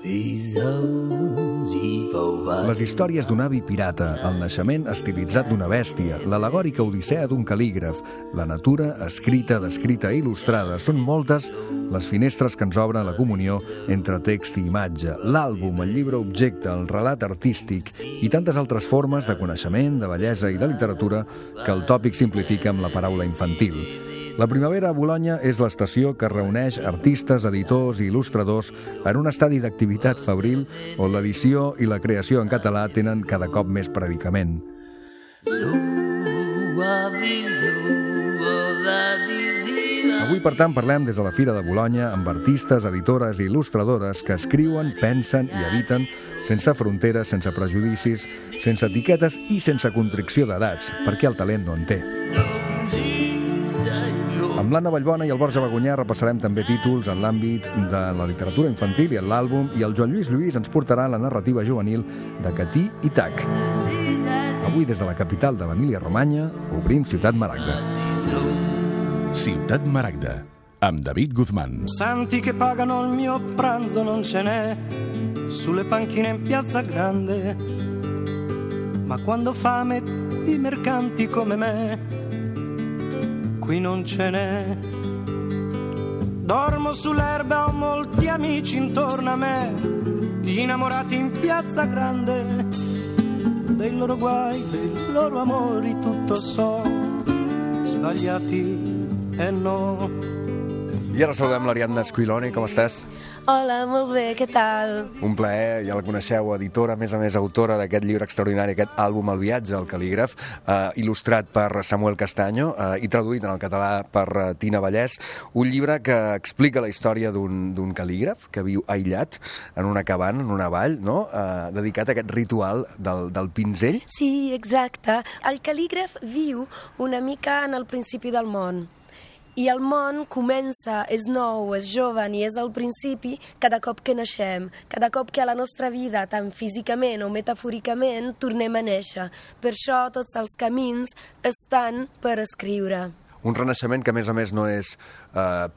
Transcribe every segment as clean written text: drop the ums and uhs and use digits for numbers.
Les històries d'un avi pirata, el naixement estilitzat d'una bèstia, l'alegòrica odissea d'un cal·lígraf, la natura escrita, descrita i il·lustrada, són moltes les finestres que ens obren la comunió entre text i imatge, l'àlbum, el llibre objecte, el relat artístic i tantes altres formes de coneixement, de bellesa i de literatura que el tòpic simplifica amb la paraula infantil. La primavera a Bolonya és l'estació que reuneix artistes, editors i il·lustradors en un estadi d'activitat febril on l'edició i la creació en català tenen cada cop més predicament. Avui, per tant, parlem des de la Fira de Bolonya amb artistes, editores i il·lustradores que escriuen, pensen i editen sense fronteres, sense prejudicis, sense etiquetes i sense constricció d'edats, perquè el talent no en té. Amb l'Anna Vallbona i el Borja Bagunyà repassarem també títols en l'àmbit de la literatura infantil i en l'àlbum, i el Joan Lluís Lluís ens portarà la narrativa juvenil de Catí i Tac. Avui, des de la capital de l'Emília-Romanya, obrim Ciutat Maragda. Ciutat Maragda, amb David Guzmán. Santi che pagano il mio pranzo non ce n'è sulle panchine in Piazza Grande, ma quando fame di mercanti come me qui non ce n'è. Dormo sull'erba, ho molti amici intorno a me, gli innamorati in Piazza Grande, dei loro guai, dei loro amori tutto so, sbagliati e no. I ara saludem l'Ariadna Squiloni, com estàs? Hola, molt bé, què tal? Un plaer, ja la coneixeu, editora, a més autora d'aquest llibre extraordinari, aquest àlbum El viatge al cal·lígraf, il·lustrat per Samuel Castaño i traduït en el català per Tina Vallès, un llibre que explica la història d'un cal·lígraf que viu aïllat en una cabana, en una vall, no? Dedicat a aquest ritual del pinzell. Sí, exacte. El cal·lígraf viu una mica en el principi del món. I el món comença, és nou, és jove i és al principi cada cop que naixem, cada cop que a la nostra vida, tant físicament o metafòricament, tornem a néixer. Per això tots els camins estan per escriure. Un renaixement que, a més, no és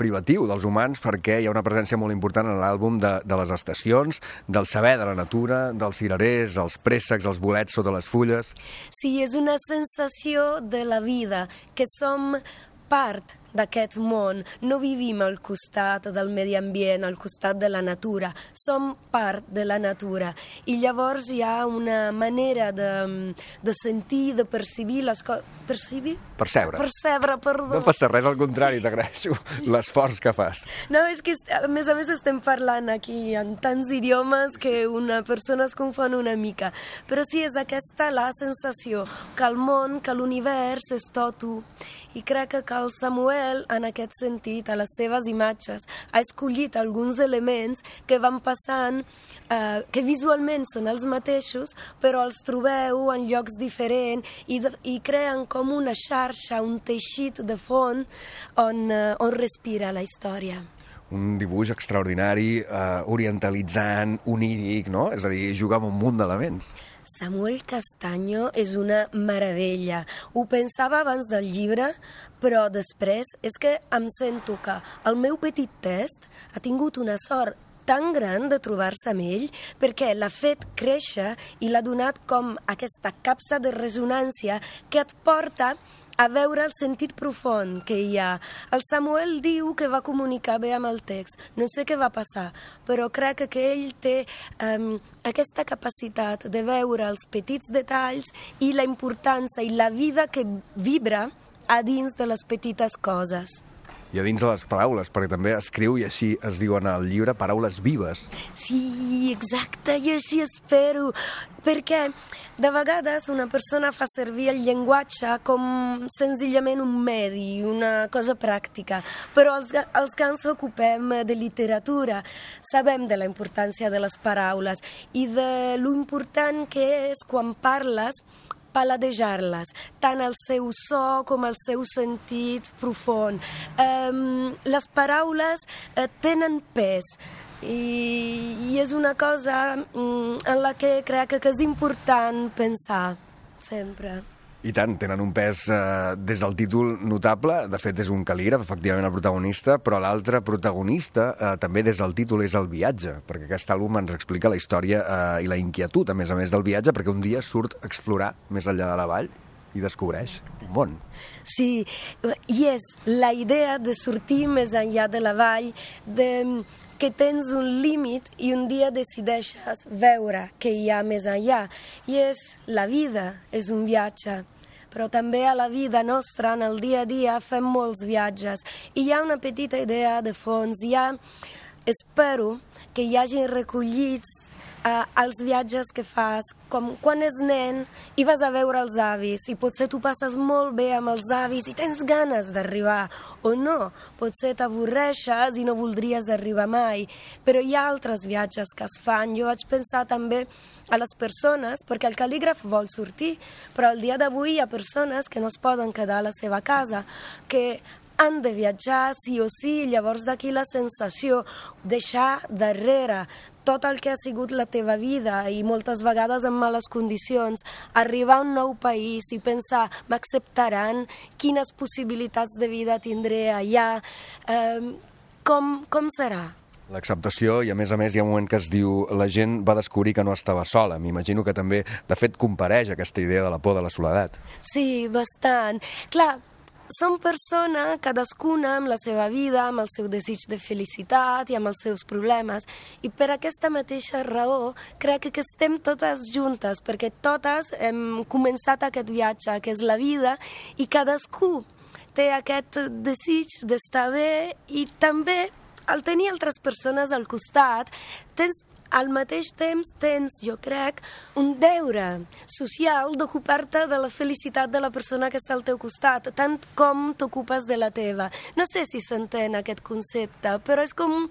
privatiu dels humans, perquè hi ha una presència molt important en l'àlbum de les estacions, del saber de la natura, dels cirerers, els préssecs, els bolets sota les fulles. Sí, és una sensació de la vida, que som part d'aquest món, no vivim al costat del medi ambient, al costat de la natura, som part de la natura i llavors hi ha una manera de sentir, de percibir les coses. Percebre, perdó. No passa res, al contrari, t'agraeixo l'esforç que fas. No, és que a més estem parlant aquí en tants idiomes que una persona es confon una mica, però sí, és aquesta la sensació que el món, que l'univers és tot u, i crec que el Samuel, en aquest sentit, a les seves imatges, ha escollit alguns elements que van passant, que visualment són els mateixos, però els trobeu en llocs diferents i creen com una xarxa, un teixit de fons on respira la història. Un dibuix extraordinari, orientalitzant, oníric, no? És a dir, jugar amb un munt d'elements. Samuel Castaño és una meravella. Ho pensava abans del llibre, però després és que em sento que el meu petit test ha tingut una sort tan gran de trobar-se amb ell perquè l'ha fet créixer i l'ha donat com aquesta capsa de ressonància que et porta a veure el sentit profund que hi ha. El Samuel diu que va comunicar bé amb el text. No sé què va passar, però crec que ell té aquesta capacitat de veure els petits detalls i la importància i la vida que vibra a dins de les petites coses. I a dins de les paraules, perquè també escriu, i així es diuen al llibre, paraules vives. Sí, exacte, i així espero, perquè de vegades una persona fa servir el llenguatge com senzillament un medi, una cosa pràctica, però els que ens ocupem de literatura sabem de la importància de les paraules i de lo important que és quan parles paladejar-les, tant el seu so com el seu sentit profund. Les paraules tenen pes i és una cosa en la que crec que és important pensar sempre. I tant, tenen un pes des del títol notable. De fet, és un cal·lígraf, efectivament, el protagonista, però l'altre protagonista també des del títol és el viatge, perquè aquest àlbum ens explica la història i la inquietud, a més del viatge, perquè un dia surt a explorar més enllà de la vall i descobreix un món. Sí, i és la idea de sortir més enllà de la vall, que tens un límit i un dia decideixes veure què hi ha més enllà. I la vida és un viatge, però també a la vida nostra, en el dia a dia, fem molts viatges. I hi ha una petita idea de fons. Espero que hi hagin recollits els viatges que fas, com quan és nen i vas a veure els avis i potser tu passes molt bé amb els avis i tens ganes d'arribar, o no, potser t'avorreixes i no voldries arribar mai, però hi ha altres viatges que es fan. Jo vaig pensar també a les persones, perquè el cal·lígraf vol sortir, però el dia d'avui hi ha persones que no es poden quedar a la seva casa, que han de viatjar sí o sí, llavors d'aquí la sensació, deixar darrere tot el que ha sigut la teva vida i moltes vegades en males condicions, arribar a un nou país i pensar, m'acceptaran, quines possibilitats de vida tindré allà, com serà? L'acceptació, i a més hi ha un moment que es diu la gent va descobrir que no estava sola. M'imagino que també, de fet, compareix aquesta idea de la por de la soledat. Sí, bastant. Clar, som persones, cadascuna amb la seva vida, amb el seu desig de felicitat i amb els seus problemes. I per aquesta mateixa raó crec que estem totes juntes, perquè totes hem començat aquest viatge, que és la vida, i cadascú té aquest desig d'estar bé i també al tenir altres persones al costat, al mateix temps tens, jo crec, un deure social d'ocupar-te de la felicitat de la persona que està al teu costat, tant com t'ocupes de la teva. No sé si s'entén aquest concepte, però és com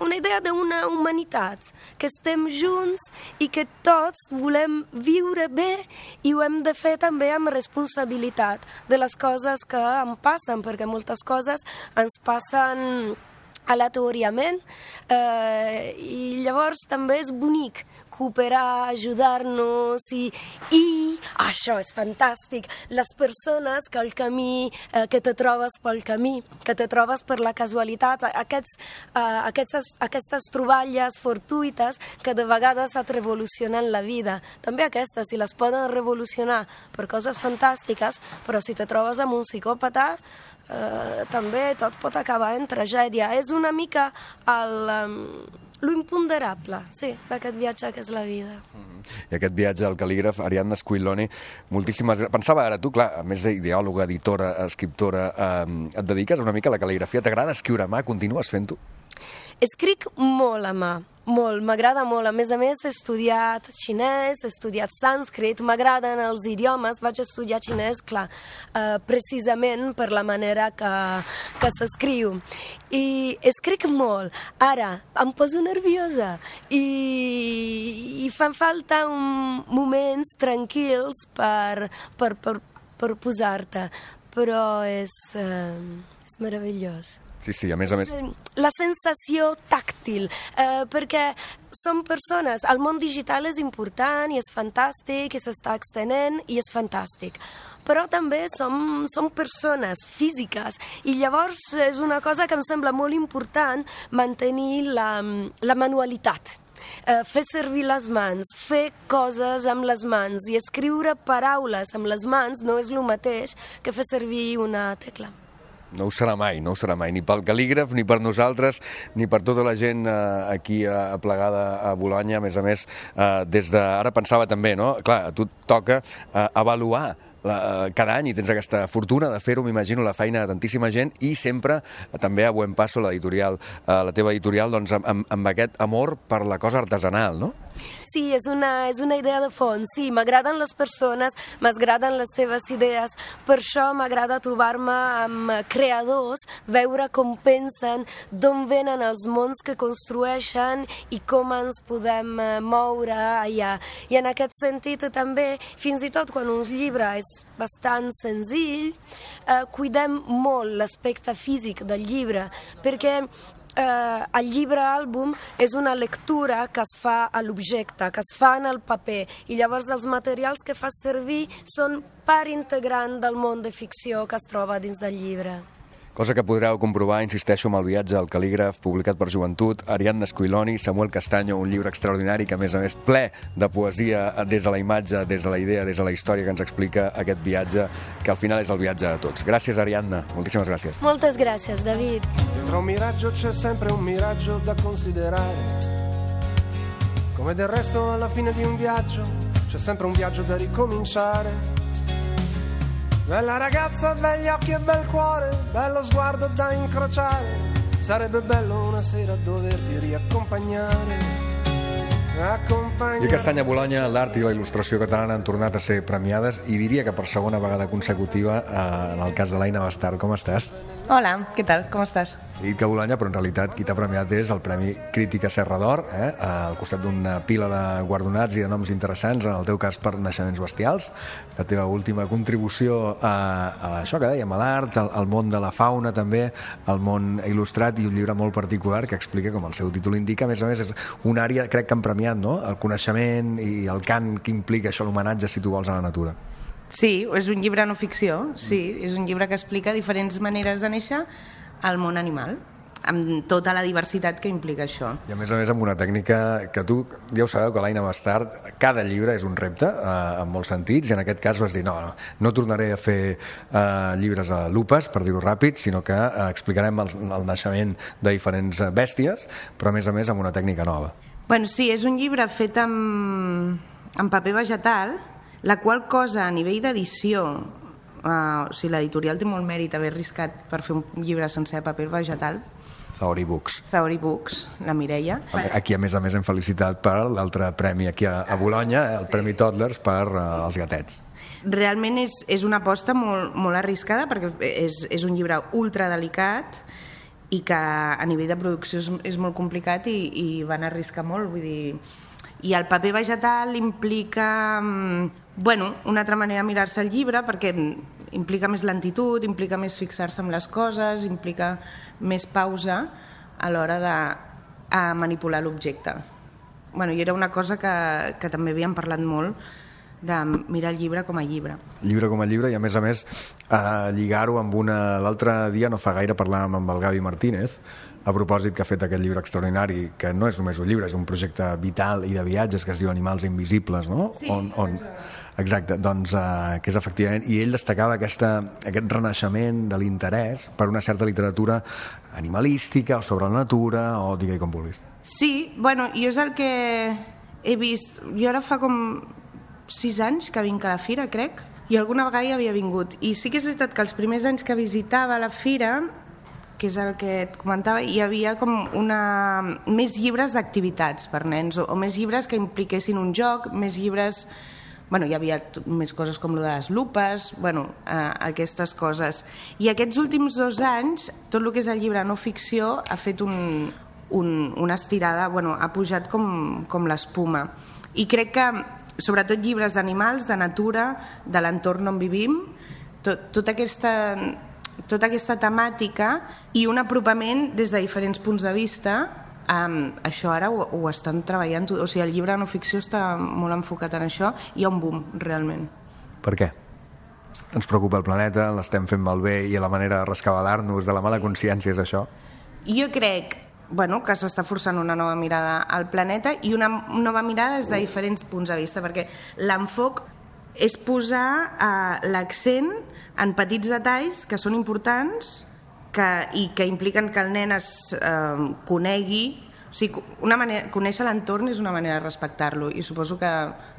una idea d'una humanitat, que estem junts i que tots volem viure bé i ho hem de fer també amb responsabilitat de les coses que em passen, perquè moltes coses ens passen aleatòriament i llavors també és bonic cooperar, ajudar-nos i això és fantàstic, les persones que al camí, que te trobes pel camí, que te trobes per la casualitat, aquestes troballes fortuïtes que de vegades et revolucionen la vida. També aquestes, si les poden revolucionar per coses fantàstiques, però si te trobes amb un psicòpata, també tot pot acabar en tragèdia. És una mica lo imponderable, sí, d'aquest viatge que és la vida. I aquest viatge al cal·lígraf, Ariadna Squillone, moltíssimes... Pensava ara, tu, clar, a més d'ideòloga, editora, escriptora, et dediques una mica a la cal·ligrafia. T'agrada escriure a mà? Continues fent-ho? Escric molt a mà, molt, m'agrada molt. A més, he estudiat xinès, he estudiat sànscrit, m'agraden els idiomes, vaig estudiar xinès, clar, precisament per la manera que s'escriu. I escric molt. Ara, em poso nerviosa i fan falta moments tranquils per posar-te, però és meravellós. Sí, a més. La sensació tàctil, perquè som persones, el món digital és important i és fantàstic i s'està extenent i és fantàstic, però també som persones físiques i llavors és una cosa que em sembla molt important mantenir la manualitat. Fer servir les mans, fer coses amb les mans i escriure paraules amb les mans no és el mateix que fer servir una tecla. No ho serà mai, ni pel cal·lígraf, ni per nosaltres, ni per tota la gent aquí aplegada a Bolonya. A més, des d'ara pensava també, no? Clar, a tu et toca avaluar cada any i tens aquesta fortuna de fer-ho, m'imagino, la feina de tantíssima gent i sempre també a Buen Paso, la teva editorial, doncs amb aquest amor per la cosa artesanal, no? Sí, és una idea de fons. Sí, m'agraden les persones, m'agraden les seves idees. Per això m'agrada trobar-me amb creadors, veure com pensen, d'on venen els mons que construeixen i com ens podem moure allà. I en aquest sentit també, fins i tot quan un llibre és bastant senzill, cuidem molt l'aspecte físic del llibre, perquè el llibre àlbum és una lectura que es fa a l'objecte, que es fa en el paper, i llavors els materials que fas servir són part integrant del món de ficció que es troba dins del llibre. Cosa que podreu comprovar, insisteixo, amb el viatge al cal·lígraf publicat per Joventut, Ariadna Squiloni, Samuel Castaño, un llibre extraordinari que, a més, ple de poesia des de la imatge, des de la idea, des de la història que ens explica aquest viatge, que al final és el viatge de tots. Gràcies, Ariadna. Moltíssimes gràcies. Moltes gràcies, David. Dietro un miraggio c'è sempre un miraggio da considerare. Come del resto alla fine di un viaggio c'è sempre un viaggio da ricominciare. Bella ragazza, begli occhi e bel cuore, bello sguardo da incrociare. Sarebbe bello una sera doverti riaccompagnare. I Castanya Bolonya, l'art i la il·lustració catalana han tornat a ser premiades i diria que per segona vegada consecutiva en el cas de l'Aina Bastard. Com estàs? Hola, què tal? Com estàs? He dit que Bolonya, però en realitat qui t'ha premiat és el Premi Crítica Serra d'Or, al costat d'una pila de guardonats i de noms interessants, en el teu cas per Naixements bestials, la teva última contribució a això que dèiem, a l'art, al món de la fauna també, al món il·lustrat, i un llibre molt particular que explica, com el seu títol indica, a més, és una àrea, crec que han premiat, no? El coneixement i el cant que implica això, l'homenatge, si tu vols, a la natura. Sí, és un llibre no ficció, sí, és un llibre que explica diferents maneres de néixer al món animal, amb tota la diversitat que implica això. I a més amb una tècnica que tu, ja ho sabeu, que l'Aina Bastard, cada llibre és un repte, en molts sentits, i en aquest cas vas dir, no tornaré a fer llibres a lupes, per dir-ho ràpid, sinó que explicarem el naixement de diferents bèsties, però a més amb una tècnica nova. Bueno, sí, és un llibre fet amb paper vegetal, la qual cosa a nivell d'edició, o sigui, l'editorial té molt mèrit haver arriscat per fer un llibre sencer de paper vegetal. Zaori Books. Zaori Books, la Mireia. Aquí, a més hem felicitat per l'altre premi aquí a Bolonya, el Premi Toddlers per els gatets. Realment és una aposta molt arriscada, perquè és un llibre ultradelicat i que a nivell de producció és molt complicat i van arriscar molt, vull dir... I el paper vegetal implica una altra manera de mirar-se el llibre, perquè implica més lentitud, implica més fixar-se en les coses, implica més pausa a l'hora de manipular l'objecte. I era una cosa que també havíem parlat molt, de mirar el llibre com a llibre. Llibre com a llibre, i a més lligar-ho amb l'altre dia, no fa gaire, parlàvem amb el Gavi Martínez, a propòsit que ha fet aquest llibre extraordinari, que no és només un llibre, és un projecte vital i de viatges que es diu Animals Invisibles, no? Sí. Exacte, doncs que és efectivament, i ell destacava aquest renaixement de l'interès per una certa literatura animalística o sobre la natura, o digue-hi com vulguis. Sí, jo és el que he vist, jo ara fa com 6 anys que vinc a la fira, crec, i alguna vegada hi havia vingut, i sí que és veritat que els primers anys que visitava la fira, que és el que et comentava, hi havia com més llibres d'activitats per nens, o més llibres que impliquessin un joc, més llibres... hi havia més coses com lo de les lupes, aquestes coses. I aquests últims 2 anys, tot el que és el llibre no ficció ha fet una estirada, ha pujat com l'espuma. I crec que, sobretot llibres d'animals, de natura, de l'entorn on vivim, tota aquesta temàtica i un apropament des de diferents punts de vista, això ara ho estan treballant, o sigui, el llibre no ficció està molt enfocat en això, i hi ha un boom, realment. Per què? Ens preocupa el planeta, l'estem fent malbé, i la manera de rescabalar-nos de la mala consciència és això? Jo crec que s'està forçant una nova mirada al planeta, i una nova mirada des de diferents punts de vista, perquè l'enfoc és posar l'accent en petits detalls que són importants i que impliquen que el nen es conegui. O sigui, conèixer l'entorn és una manera de respectar-lo, i suposo que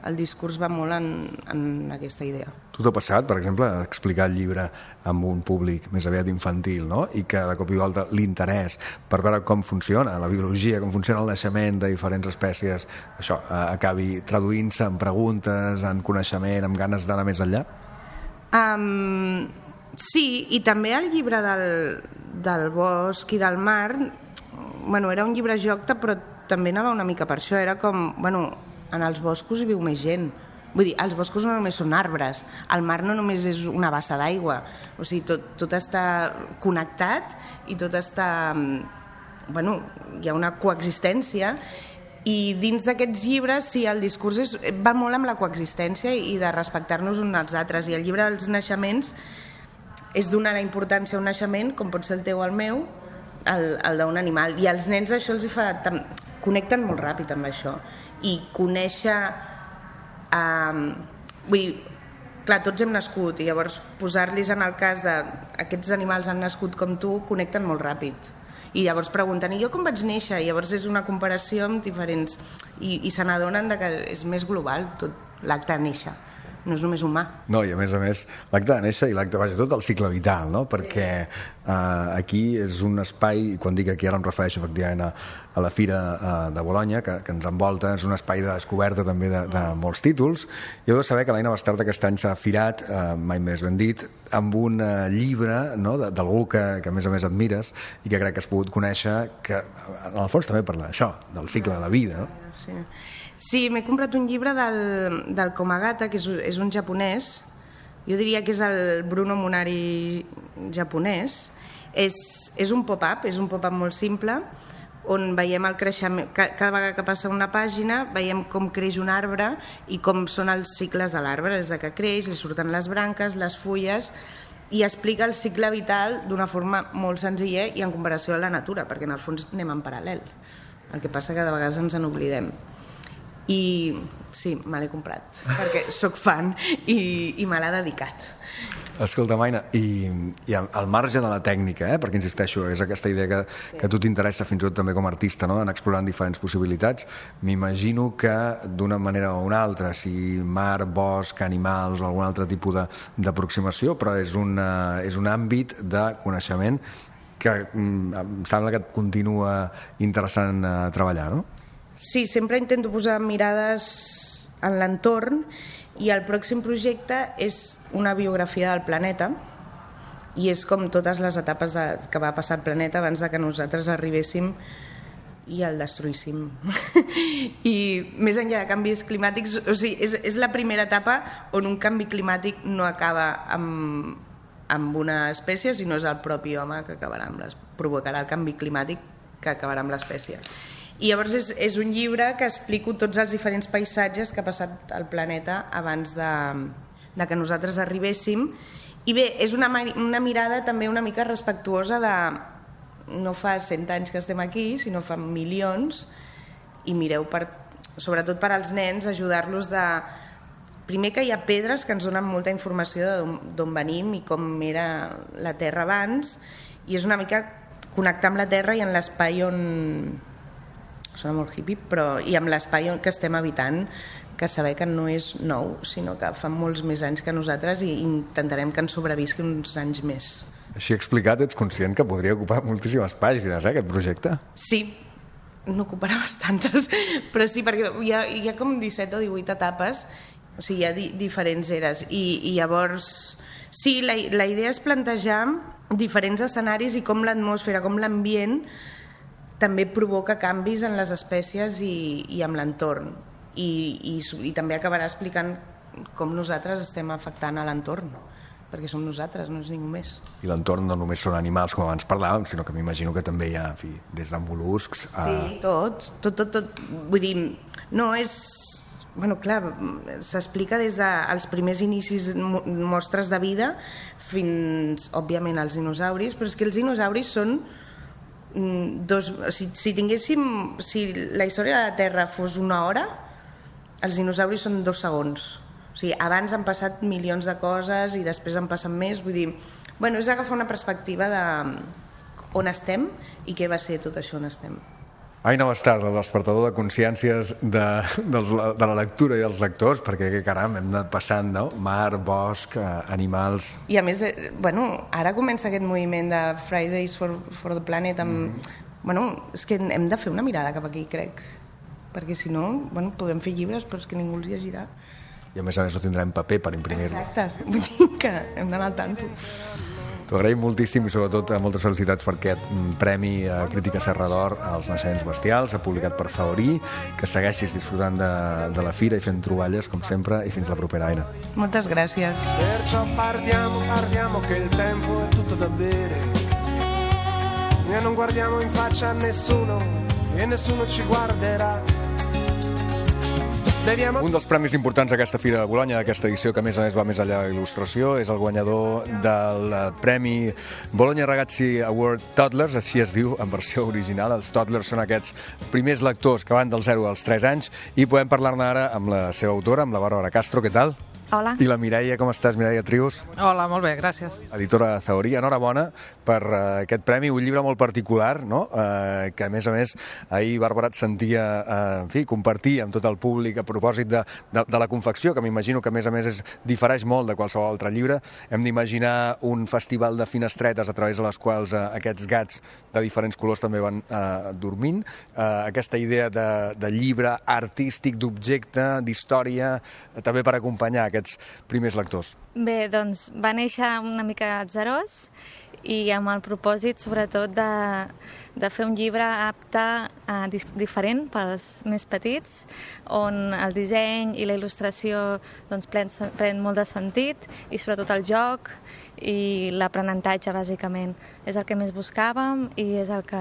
el discurs va molt en aquesta idea. Tu t'ha passat, per exemple, explicar el llibre amb un públic més aviat infantil, no? I que de cop i volta l'interès per veure com funciona la biologia, com funciona el naixement de diferents espècies, això acabi traduint-se en preguntes, en coneixement, amb ganes d'anar més enllà? Sí, i també el llibre del bosc i del mar, era un llibre joc, però també anava una mica per això, era com, en els boscos hi viu més gent. Vull dir, els boscos no només són arbres, el mar no només és una bassa d'aigua, o sigui, tot està connectat i tot està hi ha una coexistència, i dins d'aquests llibres sí, el discurs va molt amb la coexistència i de respectar-nos uns als altres, i el llibre dels naixements és donar la importància a un naixement, com pot ser el teu o el meu, el d'un animal, i als nens això els fa... connecten molt ràpid amb això, i conèixer... clar, tots hem nascut, i llavors posar-los en el cas d'aquests animals han nascut com tu, connecten molt ràpid. I llavors pregunten, i jo com vaig néixer? I llavors és una comparació amb diferents... I se n'adonen que és més global tot l'acte de néixer, no és només humà. No, i a més, l'acte de néixer i l'acte, vaja, tot el cicle vital, no? Perquè aquí és un espai, i quan dic aquí ara em refereixo efectivament a la Fira de Bolonya, que ens envolta, és un espai de descoberta també de molts títols. I heu de saber que l'Aina Bastard aquest any s'ha firat, mai més ben dit, amb un llibre, no?, d'algú que a més admires i que crec que has pogut conèixer, que en el fons també parla d'això, del cicle de la vida, no? Sí, m'he comprat un llibre del Komagata, que és un japonès, jo diria que és el Bruno Munari japonès. És un pop-up, molt simple, on veiem el creixement, cada vegada que passa una pàgina veiem com creix un arbre i com són els cicles de l'arbre, des que creix, li surten les branques, les fulles, i explica el cicle vital d'una forma molt senzilla i en comparació a la natura, perquè en el fons anem en paral·lel. El que passa que de vegades ens n'oblidem. I sí, me l'he comprat perquè sóc fan i me l'ha dedicat. Escolta, Aina, i al marge de la tècnica, perquè insisteixo, és aquesta idea que a tu t'interessa fins i tot també com a artista, no?, en explorant diferents possibilitats, m'imagino que d'una manera o una altra, si mar, bosc, animals o algun altre tipus d'aproximació, però és un àmbit de coneixement que em sembla que et continua interessant treballar, no? Sí, sempre intento posar mirades en l'entorn, i el pròxim projecte és una biografia del planeta, i és com totes les etapes que va passar el planeta abans que nosaltres arribéssim i el destruíssim. I més enllà de canvis climàtics, o sigui, és la primera etapa on un canvi climàtic no acaba amb una espècie, sinó és el propi home que provocarà el canvi climàtic que acabarà amb l'espècie. I llavors és un llibre que explico tots els diferents paisatges que ha passat al planeta abans de que nosaltres arribéssim. I bé, és una mirada també una mica respectuosa de no fa 100 anys que estem aquí, sinó fa milions, i mireu, sobretot per als nens, ajudar-los de... Primer, que hi ha pedres que ens donen molta informació d'on venim i com era la Terra abans, i és una mica connectar amb la Terra i en l'espai on... Sona molt hippie, però i amb l'espai que estem habitant, que saber que no és nou, sinó que fa molts més anys que nosaltres, i intentarem que ens sobrevisqui uns anys més. Així explicat, ets conscient que podria ocupar moltíssimes pàgines, aquest projecte? Sí, n'ocuparà bastantes, però sí, perquè hi ha com 17 o 18 etapes, o sigui, hi ha diferents eres, i llavors, sí, la idea és plantejar diferents escenaris i com l'atmosfera, com l'ambient també provoca canvis en les espècies i amb l'entorn, i també acabarà explicant com nosaltres estem afectant a l'entorn, perquè som nosaltres, no és ningú més. I l'entorn no només són animals, com abans parlàvem, sinó que m'imagino que també hi ha, des de mol·luscs a... Sí, tot. Vull dir, no és... Bueno, clar, s'explica des dels primers inicis, mostres de vida, fins, òbviament, als dinosauris, però és que els dinosauris són... Si la història de la Terra fos una hora, els dinosauris són 2 segons. O sigui, abans han passat milions de coses i després han passat més. Vull dir, bueno, és agafar una perspectiva d'on estem i què va ser tot això on estem. Aina Bastard, el despertador de consciències de la lectura i dels lectors, perquè, caram, hem anat passant, no? Mar, bosc, animals... I a més, ara comença aquest moviment de Fridays for the Planet. Bueno, és que hem de fer una mirada cap aquí, crec, perquè si no, podem fer llibres, però és que ningú els llegirà. I a més no tindrem paper per imprimir-lo. Exacte, vull dir que hem d'anar al tanto. T'ho agraïm moltíssim i sobretot moltes felicitats per aquest Premi Crítica Serra d'Or als naixements bestials, publicat per Favorí, que segueixis disfrutant de la fira i fent troballes, com sempre, i fins la propera, Aina. Moltes gràcies. Perciò parliamo che il tempo è tutto da bere. e non guardiamo in faccia a nessuno e nessuno ci guarderà. Un dels premis importants d'aquesta Fira de Bolonya, d'aquesta edició, que a més va més enllà de la il·lustració, és el guanyador del Premi Bologna Ragazzi Award Toddlers, així es diu en versió original. Els toddlers són aquests primers lectors que van del 0 als 3 anys, i podem parlar-ne ara amb la seva autora, amb la Bàrbara Castro. Què tal? Hola. I la Mireia, com estàs, Mireia Trius? Hola, molt bé, gràcies. Editora de Zahorí, enhorabona per aquest premi, un llibre molt particular, no? Que a més, ahir Bàrbara et sentia, en fi, compartir amb tot el públic a propòsit de la confecció, que m'imagino que a més difereix molt de qualsevol altre llibre. Hem d'imaginar un festival de finestretes a través de les quals aquests gats de diferents colors també van dormint. Aquesta idea de llibre artístic, d'objecte, d'història, també per acompanyar aquests primers lectors. Bé, doncs va néixer una mica atzarós i amb el propòsit, sobretot, de fer un llibre apte, diferent pels més petits, on el disseny i la il·lustració doncs, pren molt de sentit, i sobretot el joc i l'aprenentatge, bàsicament. És el que més buscàvem i és el que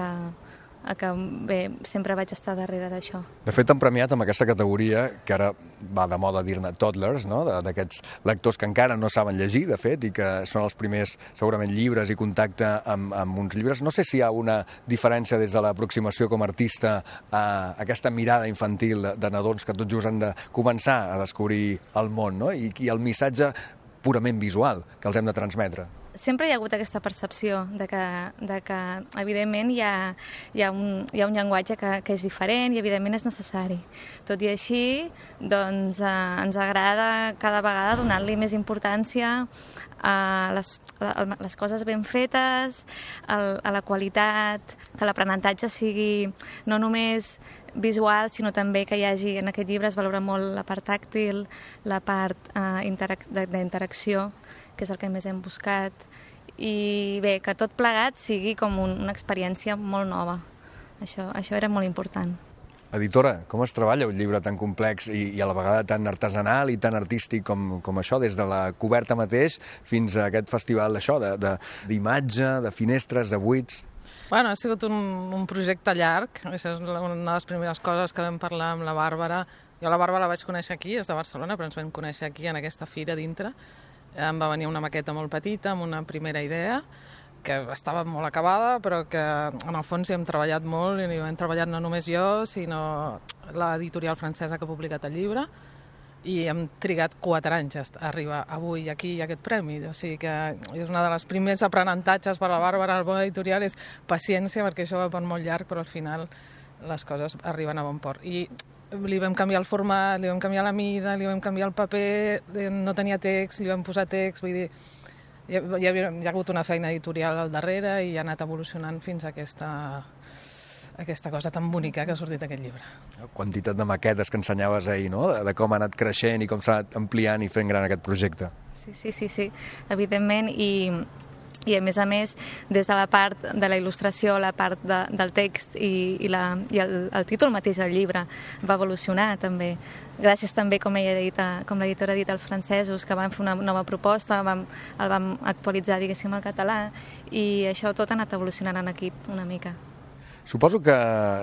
bé, sempre vaig estar darrere d'això. De fet, han premiat amb aquesta categoria, que ara va de moda dir-ne toddlers, no? D'aquests lectors que encara no saben llegir, de fet, i que són els primers, segurament, llibres i contacte amb uns llibres. No sé si hi ha una diferència des de l'aproximació com a artista a aquesta mirada infantil de nadons que tot just han de començar a descobrir el món, no? I el missatge purament visual que els hem de transmetre. Sempre hi ha hagut aquesta percepció de que evidentment, hi ha un llenguatge que és diferent i, evidentment, és necessari. Tot i així, doncs, ens agrada cada vegada donar-li més importància a les coses ben fetes, a la qualitat, que l'aprenentatge sigui no només visual, sinó també que hi hagi, en aquest llibre es valora molt la part tàctil, la part d'interacció, que és el que més hem buscat, i bé, que tot plegat sigui com una experiència molt nova. Això era molt important. Editora, com es treballa un llibre tan complex i a la vegada tan artesanal i tan artístic com això, des de la coberta mateix fins a aquest festival d'imatge, de finestres, de buits? Bueno, ha sigut un projecte llarg. Això és una de les primeres coses que vam parlar amb la Bàrbara. Jo la Bàrbara la vaig conèixer aquí, és de Barcelona, però ens vam conèixer aquí en aquesta fira dintre. Em va venir una maqueta molt petita, amb una primera idea, que estava molt acabada, però que en el fons hi hem treballat molt, i hi hem treballat no només jo, sinó l'editorial francesa que ha publicat el llibre, i hem trigat 4 anys a arribar avui aquí a aquest premi. O sigui que és una de les primers aprenentatges per la Bàrbara al món editorial, és paciència, perquè això va per molt llarg, però al final les coses arriben a bon port. I li vam canviar el format, li vam canviar la mida, li vam canviar el paper, no tenia text, li vam posar text, vull dir, hi ha hagut una feina editorial al darrere i ha anat evolucionant fins a aquesta cosa tan bonica que ha sortit aquest llibre. La quantitat de maquetes que ensenyaves ahir, no? De com ha anat creixent i com s'ha anat ampliant i fent gran aquest projecte. Sí, evidentment, i a més, des de la part de la il·lustració, la part del text i el títol mateix del llibre va evolucionar també. Gràcies també, com l'editora ha dit, als francesos, que van fer una nova proposta, el vam actualitzar, diguéssim, al català, i això tot ha anat evolucionant en equip una mica. Suposo que,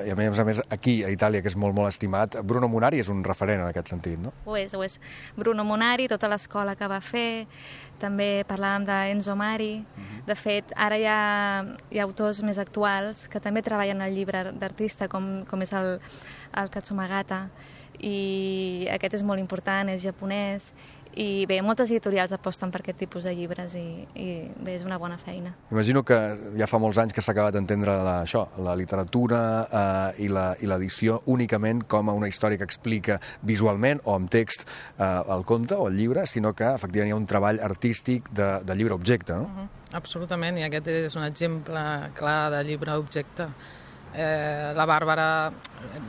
i a més aquí a Itàlia, que és molt, molt estimat, Bruno Munari és un referent en aquest sentit, no? Ho és. Bruno Munari, tota l'escola que va fer, també parlàvem d'Enzo Mari. De fet, ara hi ha autors més actuals que també treballen el llibre d'artista, com és el Katsumagata, i aquest és molt important, és japonès, i bé, moltes editorials aposten per aquest tipus de llibres i bé, és una bona feina. Imagino que ja fa molts anys que s'ha acabat d'entendre la literatura i l'edició únicament com a una història que explica visualment o amb text el conte o el llibre, sinó que efectivament hi ha un treball artístic de llibre-objecte, no? Absolutament, i aquest és un exemple clar de llibre-objecte. La Bàrbara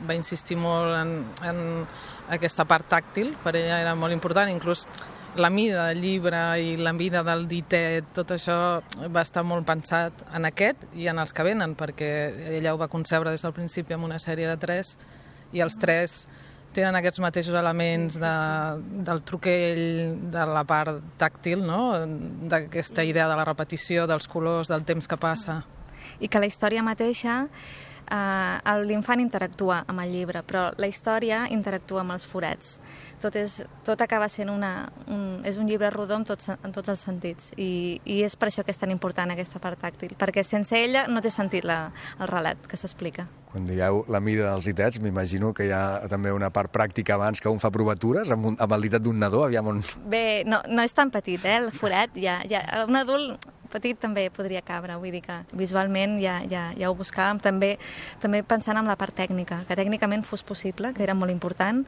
va insistir molt en aquesta part tàctil, per ella era molt important, inclús la mida del llibre i la mida del ditet, tot això va estar molt pensat en aquest i en els que venen, perquè ella ho va concebre des del principi amb una sèrie de 3, i els 3 tenen aquests mateixos elements del truquell, de la part tàctil, no? D'aquesta idea de la repetició, dels colors, del temps que passa. i que la història mateixa, l'infant interactua amb el llibre, però la història interactua amb els forats. Tot acaba sent és un llibre rodó en tots els sentits, i és per això que és tan important aquesta part tàctil, perquè sense ella no té sentit el relat que s'explica. Quan dieu la mida dels ditets, m'imagino que hi ha també una part pràctica abans que un fa provatures amb el ditet d'un nadó, aviam on... Bé, no és tan petit, el forat, un adult petit també podria cabre, vull dir que visualment ja ho buscàvem, també pensant en la part tècnica, que tècnicament fos possible, que era molt important,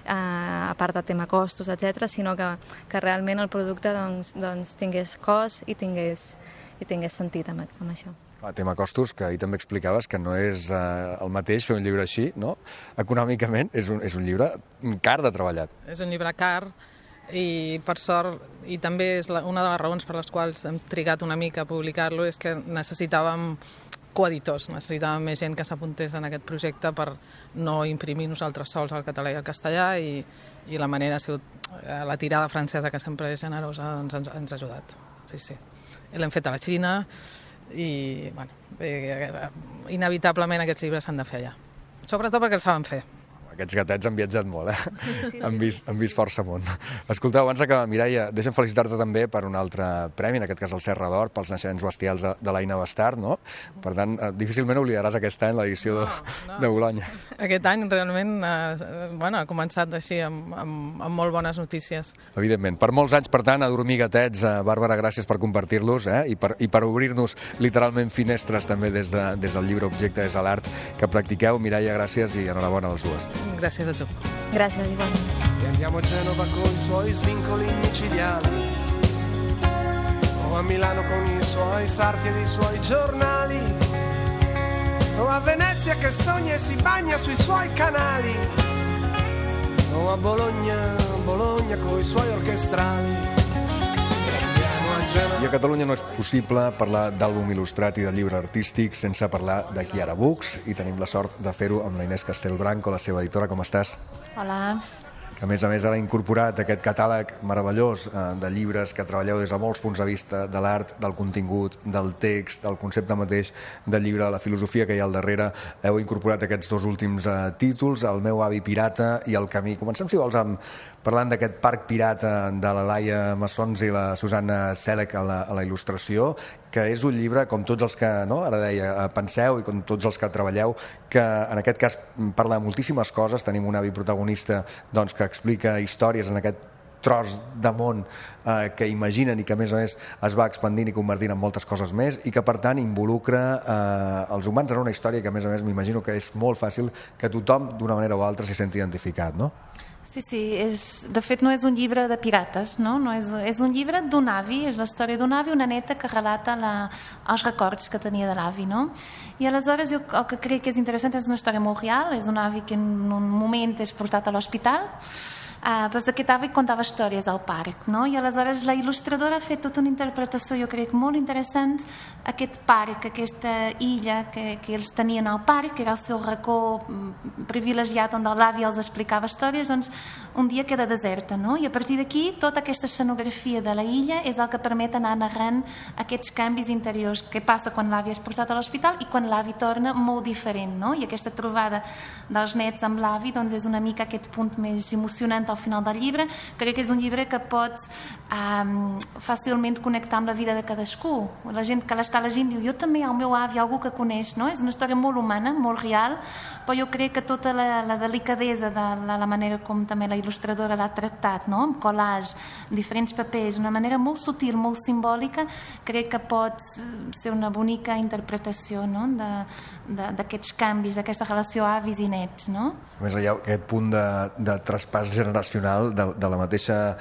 a part del tema costos, etc., sinó que realment el producte tingués cos i tingués sentit amb això. El tema costos, que ahir també explicaves que no és el mateix fer un llibre així, no? Econòmicament és un llibre car de treballat. És un llibre car, i per sort, i també és una de les raons per les quals hem trigat una mica a publicar-lo, és que necessitàvem coeditors, necessitàvem més gent que s'apuntés en aquest projecte per no imprimir nosaltres sols el català i el castellà, i la manera ha sigut la tirada francesa, que sempre és generosa, ens ha ajudat. Sí. L'hem fet a la Xina i, inevitablement aquests llibres s'han de fer allà. Sobretot perquè els saben fer. Aquests gatets han viatjat molt, Sí. Han vist força món. Escolteu, abans d'acabar, Mireia, deixa'm felicitar-te també per un altre premi, en aquest cas el Serra d'Or, pels naixements bestials de l'Aina Bastard, no? Per tant, difícilment oblidaràs aquest any l'edició de Bolonya. Aquest any realment ha començat així amb molt bones notícies. Evidentment. Per molts anys, per tant, a dormir gatets. Bàrbara, gràcies per compartir-los i per obrir-nos literalment finestres també des del llibre objecte, des de l'art que practiqueu. Mireia, gràcies i enhorabona a les dues. Gràcies a tu. Gràcies, igualment. E andiamo a Genova con i suoi svincoli micidiali, o a Milano con i suoi sarti e i suoi giornali, o a Venezia che sogna e si bagna sui suoi canali, o a Bologna con i suoi orchestrali. I a Catalunya no és possible parlar d'àlbum il·lustrat i de llibre artístic sense parlar de Chiara Books, i tenim la sort de fer-ho amb la Inés Castelbranco, la seva editora. Com estàs? Hola. Que a més ara ha incorporat aquest catàleg meravellós de llibres que treballeu des de molts punts de vista, de l'art, del contingut, del text, del concepte mateix del llibre, de la filosofia que hi ha al darrere. Heu incorporat aquests dos últims títols, El meu avi pirata i El camí. Comencem, si vols, parlant d'aquest parc pirata de la Laia Massons i la Susanna Sèlec a la il·lustració, que és un llibre, com tots els que, ara deia, penseu, i com tots els que treballeu, que en aquest cas parla de moltíssimes coses. Tenim un avi protagonista que explica històries en aquest tros de món que imaginen i que a més es va expandint i convertint en moltes coses més, i que per tant involucra els humans en una història que a més m'imagino que és molt fàcil que tothom d'una manera o altra s'hi senti identificat, no? Sí, de fet no és un llibre de pirates, no? És un llibre d'un avi, és la història d'un avi, una neta que relata els records que tenia de l'avi, no? I aleshores jo el que crec que és interessant és una història molt real, és un avi que en un moment és portat a l'hospital, però aquest avi contava històries al parc, no? I aleshores la il·lustradora ha fet tota una interpretació, jo crec, molt interessant, aquest parc, aquesta illa que ells tenien al parc, que era el seu racó privilegiat on l'avi els explicava històries, doncs un dia queda deserta, no? I a partir d'aquí tota aquesta escenografia de la illa és el que permet anar narrant aquests canvis interiors, que passa quan l'avi és portat a l'hospital i quan l'avi torna molt diferent, no? I aquesta trobada dels nets amb l'avi doncs és una mica aquest punt més emocionant al final del llibre. Crec que és un llibre que pots fàcilment connectar amb la vida de cadascú. La gent que l'està llegint diu, jo també, el meu avi, algú que coneix, no? És una història molt humana, molt real, però jo crec que tota la delicadesa de la manera com també la il·lustradora l'ha tractat, no? Amb collage, diferents papers, una manera molt sutil, molt simbòlica, crec que pot ser una bonica interpretació, no? D'aquests canvis, d'aquesta relació avis i nets, no? A més, hi ha aquest punt de traspàs generacional de la mateixa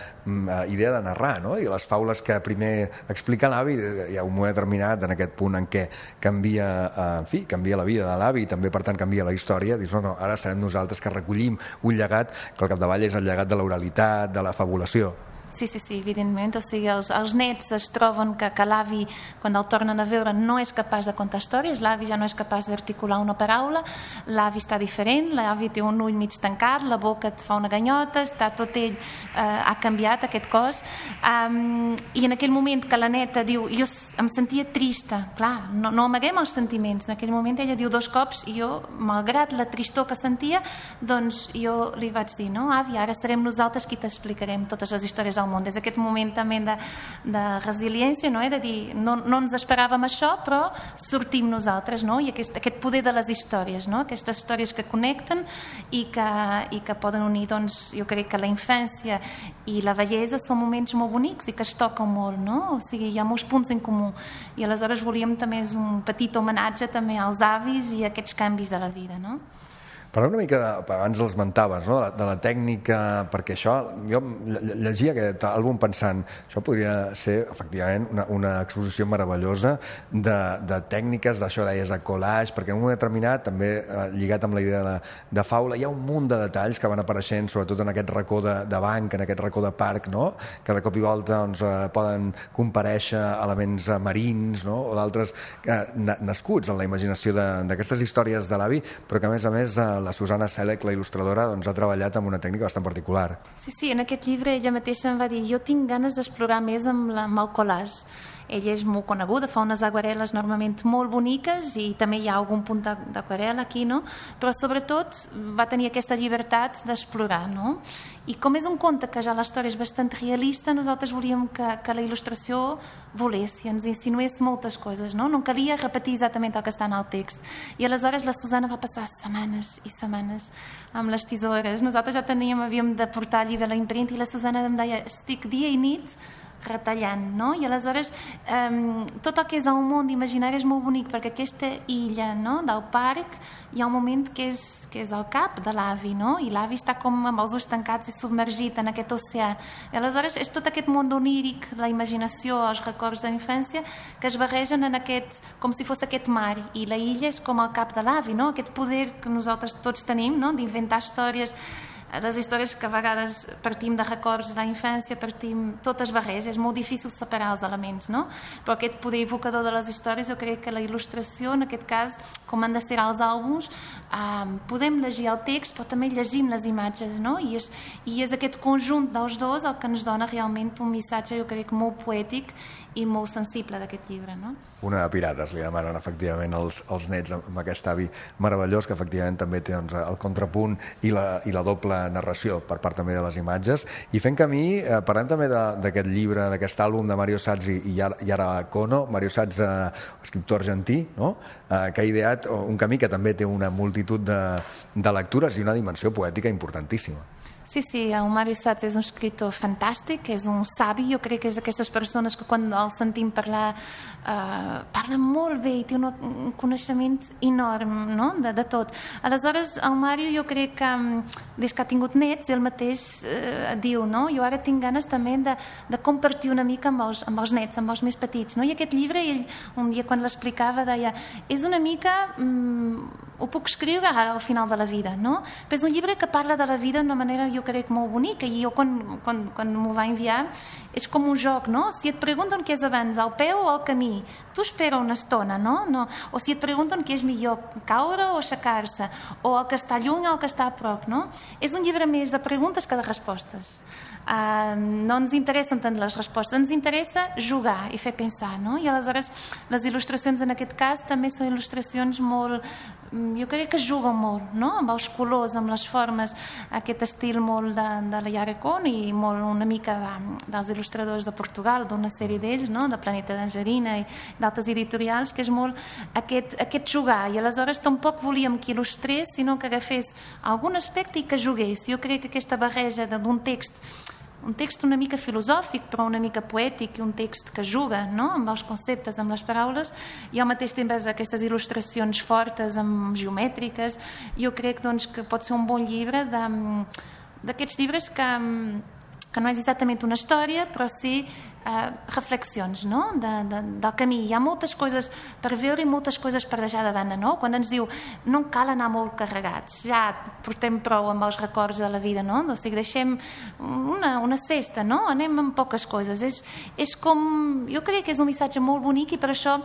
idea de narrar, no? I les faules que primer explica l'avi, hi ha un moment determinat en aquest punt en què canvia la vida de l'avi i també, per tant, canvia la història. Dius, no, ara serem nosaltres que recollim un llegat que al capdavall és el llegat de l'oralitat, de la fabulació. Sí, evidentment. O sigui, els nets es troben que l'avi, quan el tornen a veure, no és capaç de contar històries, l'avi ja no és capaç d'articular una paraula, l'avi està diferent, l'avi té un ull mig tancat, la boca et fa una ganyota, està tot ell, ha canviat aquest cos. I en aquell moment que la neta diu, jo em sentia trista, clar, no amaguem els sentiments, en aquell moment ella diu 2 cops i jo, malgrat la tristor que sentia, doncs jo li vaig dir, no, avi, ara serem nosaltres qui t'explicarem totes les històries del món. Des d'aquest moment també de resiliència, no? De dir, no ens esperàvem això, però sortim nosaltres, no? I aquest poder de les històries, no? Aquestes històries que connecten i que poden unir, doncs, jo crec que la infància i la vellesa són moments molt bonics i que es toquen molt, no? O sigui, hi ha molts punts en comú. I aleshores volíem també un petit homenatge també als avis i a aquests canvis de la vida, no? Parlem una mica, abans els mentaves, no? De la tècnica, perquè això, jo llegia aquest àlbum pensant, això podria ser efectivament una exposició meravellosa de tècniques, d'això deies de collage, perquè en un moment determinat, també lligat amb la idea de faula, hi ha un munt de detalls que van apareixent, sobretot en aquest racó de banc, en aquest racó de parc, no? Que de cop i volta doncs, poden comparèixer elements marins, no? O d'altres nascuts en la imaginació d'aquestes històries de l'avi, però que a més la Susana Sèlec, la il·lustradora, doncs, ha treballat amb una tècnica bastant particular. Sí, en aquest llibre ella mateixa em va dir jo tinc ganes d'explorar més amb el collage. Ella és molt coneguda, fa unes aquarel·les normalment molt boniques i també hi ha algun punt d'aquarel·la aquí, no? Però sobretot va tenir aquesta llibertat d'explorar, no? I com és un conte que ja la història és bastant realista, nosaltres volíem que la il·lustració volés i ens insinués moltes coses, no? No calia repetir exactament el que està en el text. I aleshores la Susana va passar setmanes i setmanes amb les tisores. Nosaltres ja havíem de portar el llibre a la impremta i la Susana em deia estic dia i nit retallant, no? I aleshores tot el que és el món d'imaginari és molt bonic perquè aquesta illa, no? Del parc hi ha un moment que és el cap de l'avi, no? I l'avi està com amb els ulls tancats i submergit en aquest oceà. I aleshores és tot aquest món oníric, la imaginació, els records de la infància que es barregen en aquest, com si fos aquest mar, i la illa és com el cap de l'avi, no? Aquest poder que nosaltres tots tenim, no? D'inventar històries, les històries que a vegades partim de records de la infància, totes barreges, és molt difícil separar els elements, no? Però aquest poder evocador de les històries, jo crec que la il·lustració, en aquest cas, com han de ser els àlbums, podem llegir el text, però també llegim les imatges, no? I és aquest conjunt dels dos el que ens dona realment un missatge, jo crec, molt poètic i molt sensible d'aquest llibre, no? Una de pirates li demanen efectivament els nets amb aquest avi meravellós que efectivament també té doncs, el contrapunt i la doble narració per part també de les imatges. I fent camí, parlem també d'aquest llibre, d'aquest àlbum de Mario Satz i Yara Kono. Mario Satz, escriptor argentí, no? Que ha ideat un camí que també té una multitud de lectures i una dimensió poètica importantíssima. Sí, el Mario Satz és un escriptor fantàstic, és un savi, jo crec que és d'aquestes persones que quan el sentim parlar parla molt bé i té un coneixement enorme, no? De tot. Aleshores, el Mario jo crec que des que ha tingut nets, ell mateix diu, no? Jo ara tinc ganes també de compartir una mica amb els nets, amb els més petits, no? I aquest llibre, ell un dia quan l'explicava deia, és una mica ho puc escriure ara al final de la vida, no? Però és un llibre que parla de la vida d'una manera, jo crec, molt bonica, i jo quan m'ho va enviar és com un joc, no? Si et pregunten què és abans, el peu o el camí, tu espera una estona, no? O si et pregunten què és millor, caure o aixecar-se, o el que està lluny o el que està a prop, no? És un llibre més de preguntes que de respostes. No ens interessen tant les respostes, ens interessa jugar i fer pensar, no? I aleshores les il·lustracions en aquest cas també són il·lustracions molt, jo crec que juguen molt, no? Amb els colors, amb les formes, aquest estil molt de la Yara Kono i molt una mica dels il·lustradors de Portugal, d'una sèrie d'ells, no? De Planeta d'Angerina i d'altres editorials, que és molt aquest jugar, i aleshores tampoc volíem que il·lustrés, sinó que agafés algun aspecte i que jugués. Jo crec que aquesta barreja d'un text una mica filosòfic, però una mica poètic, i un text que juga, no? Amb els conceptes, amb les paraules, i al mateix temps aquestes il·lustracions fortes, geomètriques. Jo crec doncs, que pot ser un bon llibre d'aquests llibres que que no és exactament una història, però sí reflexions, no? Del camí. Hi ha moltes coses per veure i moltes coses per deixar de banda, no? Quan ens diu no cal anar molt carregats, ja portem prou amb els records de la vida, no? O sigui, deixem una cesta, no? Anem amb poques coses. És com... Jo crec que és un missatge molt bonic i per això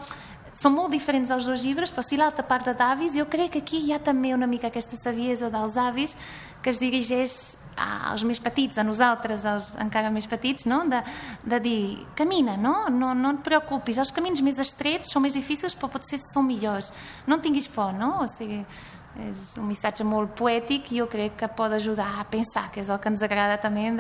són molt diferents els dos llibres, però si l'altra parla d'avis, jo crec que aquí hi ha també una mica aquesta saviesa dels avis que es dirigeix als més petits, a nosaltres, als encara més petits, no? De dir, camina, no et preocupis, els camins més estrets són més difícils però potser són millors, no en tinguis por, no? O sigui, és un missatge molt poètic i jo crec que pot ajudar a pensar, que és el que ens agrada també,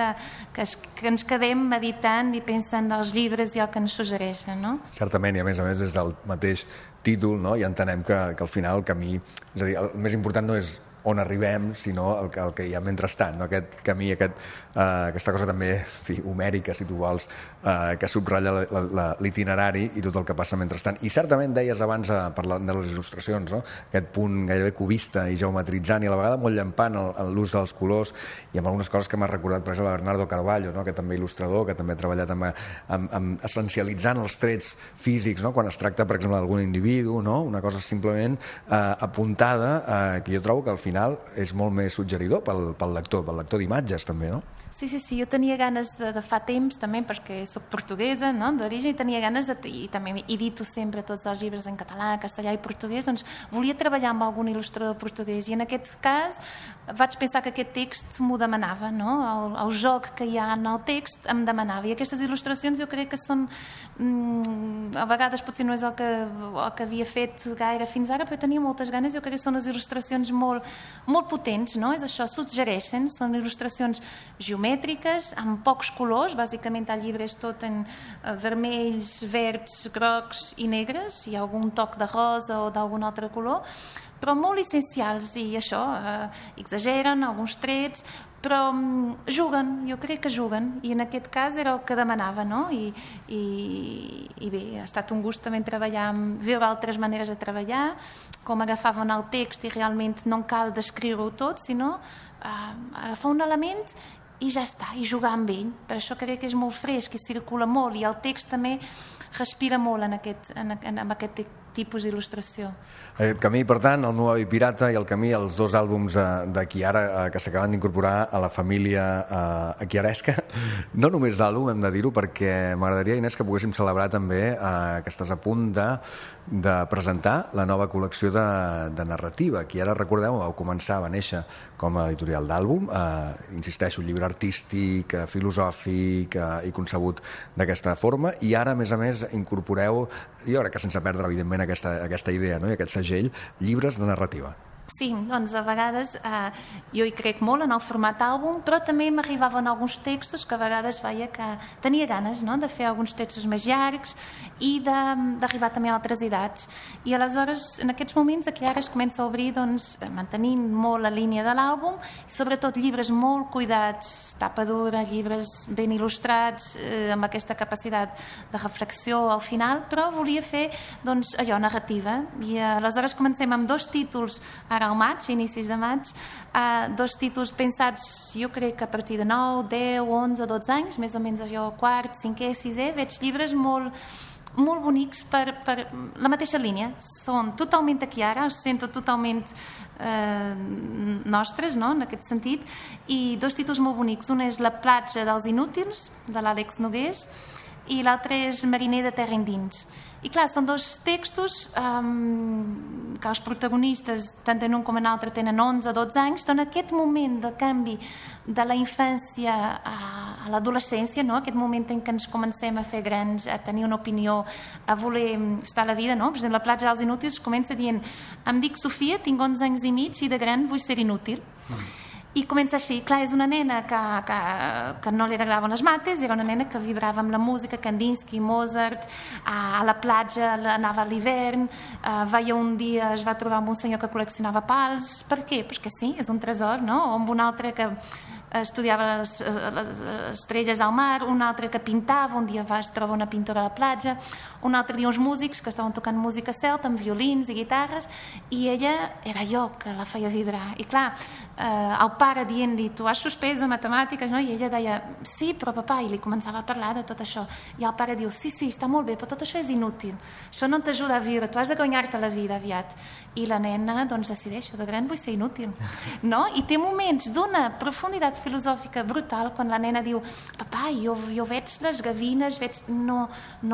que ens quedem meditant i pensant dels llibres i el que ens suggereixen, no? Certament, i a més des del mateix títol, no? Ja entenem que al final el camí, és a dir, el més important no és on arribem, sinó el que hi ha mentrestant, no? Aquest camí, aquesta cosa també, en fi, homèrica, si tu vols, que subratlla l'itinerari i tot el que passa mentrestant. I certament deies abans, parlant de les il·lustracions, no? Aquest punt gairebé cubista i geometritzant i a la vegada molt llampant l'ús dels colors i amb algunes coses que m'ha recordat, per exemple, Bernardo Carballo, no? Que també il·lustrador, que també ha treballat amb essencialitzant els trets físics, no? Quan es tracta, per exemple, d'algun individu, no? Una cosa simplement apuntada, que jo trobo que al final és molt més suggeridor pel lector d'imatges també, no? Sí, jo tenia ganes de fa temps també, perquè soc portuguesa, no? D'origen, i tenia ganes i també edito sempre tots els llibres en català, castellà i portuguès, doncs volia treballar amb algun il·lustrador portuguès i en aquest cas vaig pensar que aquest text m'ho demanava, no? El joc que hi ha en el text em demanava, i aquestes il·lustracions jo crec que són a vegades potser no és el que havia fet gaire fins ara, però tenia moltes ganes. Jo crec que són les il·lustracions molt potents, no? És això, suggereixen, són il·lustracions geomètriques, amb pocs colors, bàsicament el llibre és tot en vermells, verds, grocs i negres, i algun toc de rosa o d'algun altre color, però molt essencials, i això, exageren alguns trets, però juguen, jo crec que juguen, i en aquest cas era el que demanava, no? I bé, ha estat un gust també treballar, veure altres maneres de treballar, com agafaven el text i realment no cal descriure-ho tot, sinó agafar un element i ja està, i jugar amb ell. Per això crec que és molt fresc, i circula molt, i el text també respira molt en aquest tipus d'il·lustració. Aquest camí, per tant, el meu avi pirata i el camí, els dos àlbums de Chiara que s'acaben d'incorporar a la família chiaresca. No només l'àlbum, hem de dir-ho, perquè m'agradaria, Inés, que poguéssim celebrar també que estàs a punt de presentar la nova col·lecció de narrativa. Chiara, recordeu, va néixer com a editorial d'àlbum, insisteixo, llibre artístic, filosòfic i concebut d'aquesta forma, i ara, a més, incorporeu, jo crec que sense perdre, evidentment, aquesta idea, no? I aquest segell, llibres de narrativa. Sí, doncs a vegades jo hi crec molt en el format àlbum, però també m'arribaven alguns textos que a vegades veia que tenia ganes, no?, de fer alguns textos més llargs i d'arribar també a altres edats. I aleshores, en aquests moments, aquí ara es comença a obrir, doncs, mantenint molt la línia de l'àlbum, sobretot llibres molt cuidats, tapa dura, llibres ben il·lustrats, amb aquesta capacitat de reflexió al final, però volia fer, doncs, allò, narrativa. I aleshores comencem amb 2 títols ara al maig, inicis de maig, 2 títols pensats, jo crec que a partir de 9, 10, 11, 12 anys, més o menys allò, 4, 5è, 6è, veig llibres molt bonics per la mateixa línia. Són totalment de Chiara, els sento totalment nostres, no?, en aquest sentit, i 2 títols molt bonics. Un és La platja dels inútils, de l'Àlex Nogués, i l'altre és Mariner de terra endins. I clar, són 2 textos que els protagonistes, tant en un com en l'altre, tenen 11 o 12 anys, doncs aquest moment de canvi de la infància a l'adolescència, no?, aquest moment en què ens comencem a fer grans, a tenir una opinió, a voler estar a la vida, no? Per exemple, La platja dels inútils comença dient: em dic Sofia, tinc 11 anys i mig i de gran vull ser inútil. I comença així. Clar, és una nena que no li agradaven les mates, era una nena que vibrava amb la música, Kandinsky, Mozart, a la platja anava a l'hivern, veia un dia, es va trobar amb un senyor que col·leccionava pals. Per què? Perquè sí, és un tresor, no? O amb un altre que estudiava les estrelles al mar, un altre que pintava, un dia es troba una pintora a la platja, un altre dia uns músics que estaven tocant música celta amb violins i guitarres, i ella era jo que la feia vibrar. I clar, el pare dient-li, tu has suspès de matemàtiques, no? I ella deia, sí, però papà, i li començava a parlar de tot això. I el pare diu, sí, està molt bé, però tot això és inútil. Això no t'ajuda a viure, tu has de guanyar-te la vida aviat. I la nena, doncs, decideix, de gran vull ser inútil. No? I té moments d'una profunditat filosòfica brutal quan la nena diu, papà, jo veig les gavines, no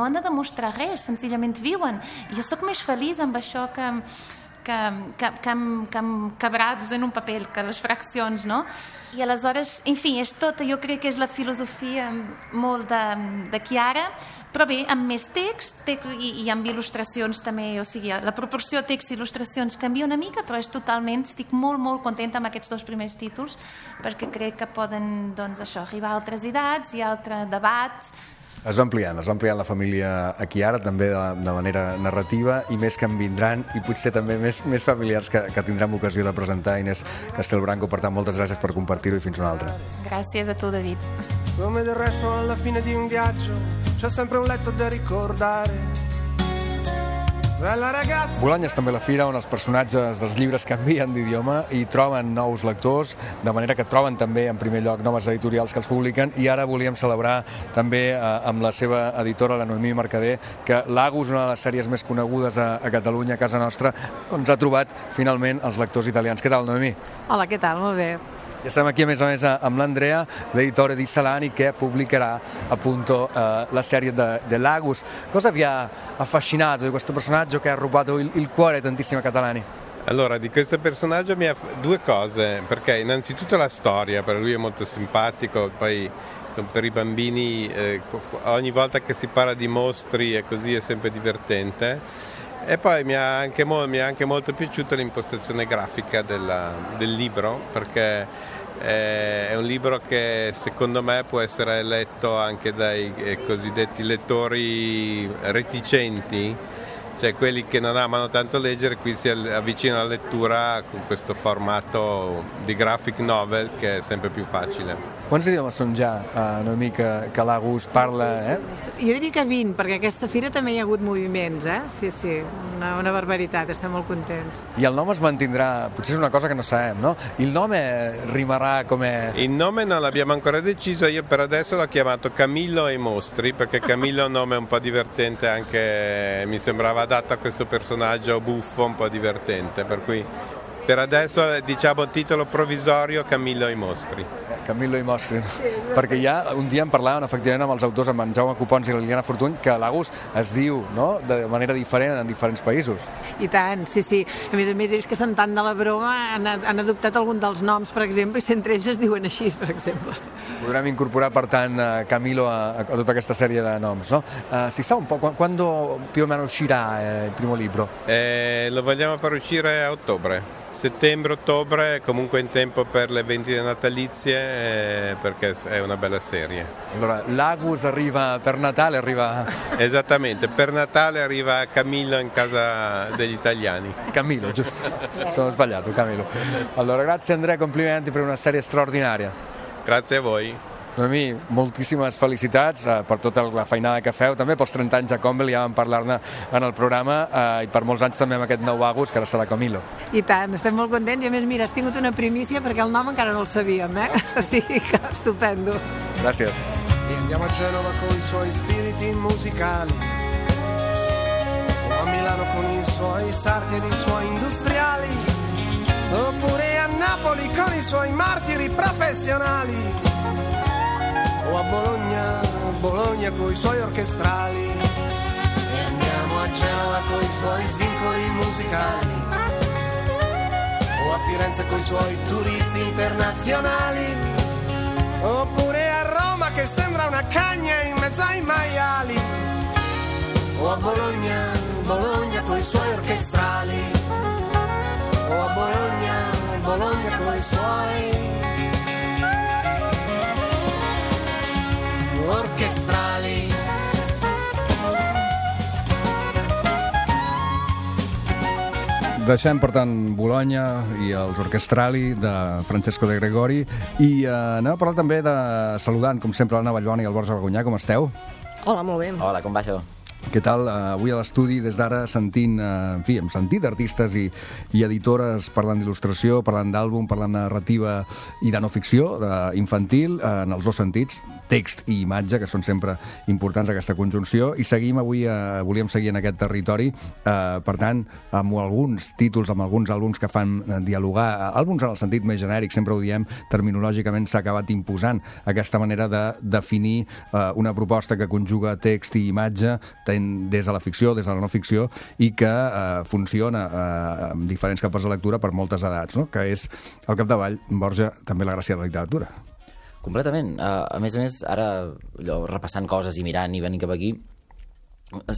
han de demostrar res, senzillament viuen. I jo sóc més feliç amb això que amb quebrados en un paper, que les fraccions, no? I aleshores, en fi, és tot, jo crec que és la filosofia molt de Chiara, però bé, amb més text i amb il·lustracions també, o sigui, la proporció text i il·lustracions canvia una mica, però és totalment, estic molt, molt contenta amb aquests 2 primers títols, perquè crec que poden, doncs, això, arribar a altres edats i a altre debat. Es va ampliant la família a Chiara, també de manera narrativa, i més que en vindran, i potser també més familiars que tindrem ocasió de presentar. Inés Castelbranco, per tant, moltes gràcies per compartir-ho i fins una altra. Gràcies a tu, David. Come del resto alla fine di un viaggio c'è sempre un letto da ricordare. Bolonya és també la fira on els personatges dels llibres canvien d'idioma i troben nous lectors, de manera que troben també en primer lloc noves editorials que els publiquen, i ara volíem celebrar també amb la seva editora, la Noemí Mercader, que l'Agus, una de les sèries més conegudes a Catalunya, a casa nostra, doncs ha trobat finalment els lectors italians. Què tal, Noemí? Hola, què tal? Molt bé. E stiamo qui a més amb l'Andrea, l'editore di Salani, che pubblicherà appunto la serie dell'Agus. Cosa vi ha affascinato di questo personaggio che ha rubato il cuore a tantissimi catalani? Allora, di questo personaggio mi ha 2 cose, perché innanzitutto la storia, per lui è molto simpatico, poi per i bambini ogni volta che si parla di mostri e così è sempre divertente. E poi mi ha anche molto piaciuta l'impostazione grafica del libro, perché è un libro che secondo me può essere letto anche dai cosiddetti lettori reticenti, cioè quelli che non amano tanto leggere, qui si avvicinano alla lettura con questo formato di graphic novel che è sempre più facile. Quants idiomes són ja, Noemí, que l'Agus parla? Jo diria que 20, perquè aquesta fira també hi ha hagut moviments, Sí, una barbaritat, estem molt contents. I el nom es mantindrà, potser és una cosa che non sappiamo, no? Il nome rimarrà come... Il nome non l'abbiamo ancora deciso, io per adesso l'ho chiamato Camillo e i mostri, perché Camillo è un nome un po' divertente, anche mi sembrava adatto a questo personaggio buffo, un po' divertente, per cui per adesso diciamo titolo provvisorio Camillo e i mostri. Camillo i mostri, perquè ja un dia en parlàvem efectivament amb els autors, amb en Jaume Copons i la Liliana Fortuny, que l'Agus es diu, no?, de manera diferent en diferents països. I tant, sí. A més, ells que són tant de la broma han adoptat algun dels noms, per exemple, i entre ells es diuen així, per exemple. Podrem incorporar, per tant, Camillo a tota aquesta sèrie de noms, no? Si sa un po' quando più o meno uscirà il primo libro? Lo vogliamo far uscire a ottobre. Settembre-ottobre, comunque in tempo per le vendite natalizie, perché è una bella serie. Allora, l'Agus arriva per Natale, Esattamente, per Natale arriva Camillo in casa degli italiani. Camillo, giusto, sono sbagliato, Camillo. Allora, grazie Andrea, complimenti per una serie straordinaria. Grazie a voi. Noemí, moltíssimes felicitats per tota la feinada que feu, també pels 30 anys a Convel, ja vam parlar-ne en el programa, i per molts anys també amb aquest nou Agus, que ara serà Camillo. I tant, estem molt contents, i a més, mira, has tingut una primícia perquè el nom encara no el sabíem, O sigui que estupendo. Gràcies. E andiamo a Genova con i suoi spiriti musicali, o a Milano con i suoi sarti ed i suoi industriali, oppure a Napoli con i suoi martiri professionali, o a Bologna coi suoi orchestrali, e andiamo a Genova coi suoi svincoli musicali, o a Firenze coi suoi turisti internazionali, oppure a Roma che sembra una cagna in mezzo ai maiali, o a Bologna coi suoi orchestrali, o a Bologna coi suoi orchestrali. deixem, per tant, Bologna i els Orchestrali de Francesco De Gregori i anem a parlar també de saludant, com sempre, l'Anna Vallbona i el Borja Bagonyà. Com esteu? Hola, molt bé. Hola, com va això? Què tal? Avui a l'estudi, des d'ara, sentint, hem sentit artistes i editores parlant d'il·lustració, parlant d'àlbum, parlant de narrativa i de no ficció, infantil, en els dos sentits, text i imatge, que són sempre importants, aquesta conjunció, i seguim avui, volíem seguir en aquest territori, per tant, amb alguns títols, amb alguns àlbums que fan dialogar, àlbums en el sentit més genèric, sempre ho diem, terminològicament s'ha acabat imposant aquesta manera de definir una proposta que conjuga text i imatge, des de la ficció, des de la no ficció, i que funciona amb diferents capes de lectura per moltes edats, no? Que és, al capdavall, Borja, també la gràcia de la literatura. Completament. A més, ara, repassant coses i mirant i venint cap aquí,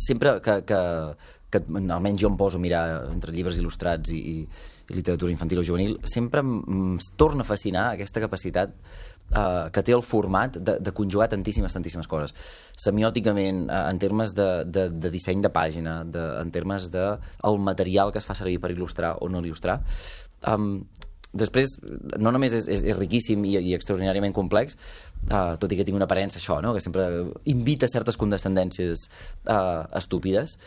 sempre que almenys jo em poso a mirar entre llibres il·lustrats i literatura infantil o juvenil, sempre em torna a fascinar aquesta capacitat que té el format de conjugar tantíssimes coses. Semiòticament, en termes de disseny de pàgina, en termes del material que es fa servir per il·lustrar o no il·lustrar. Després, no només és riquíssim i extraordinàriament complex, tot i que tinc una aparença això, no? Que sempre invita certes condescendències estúpides.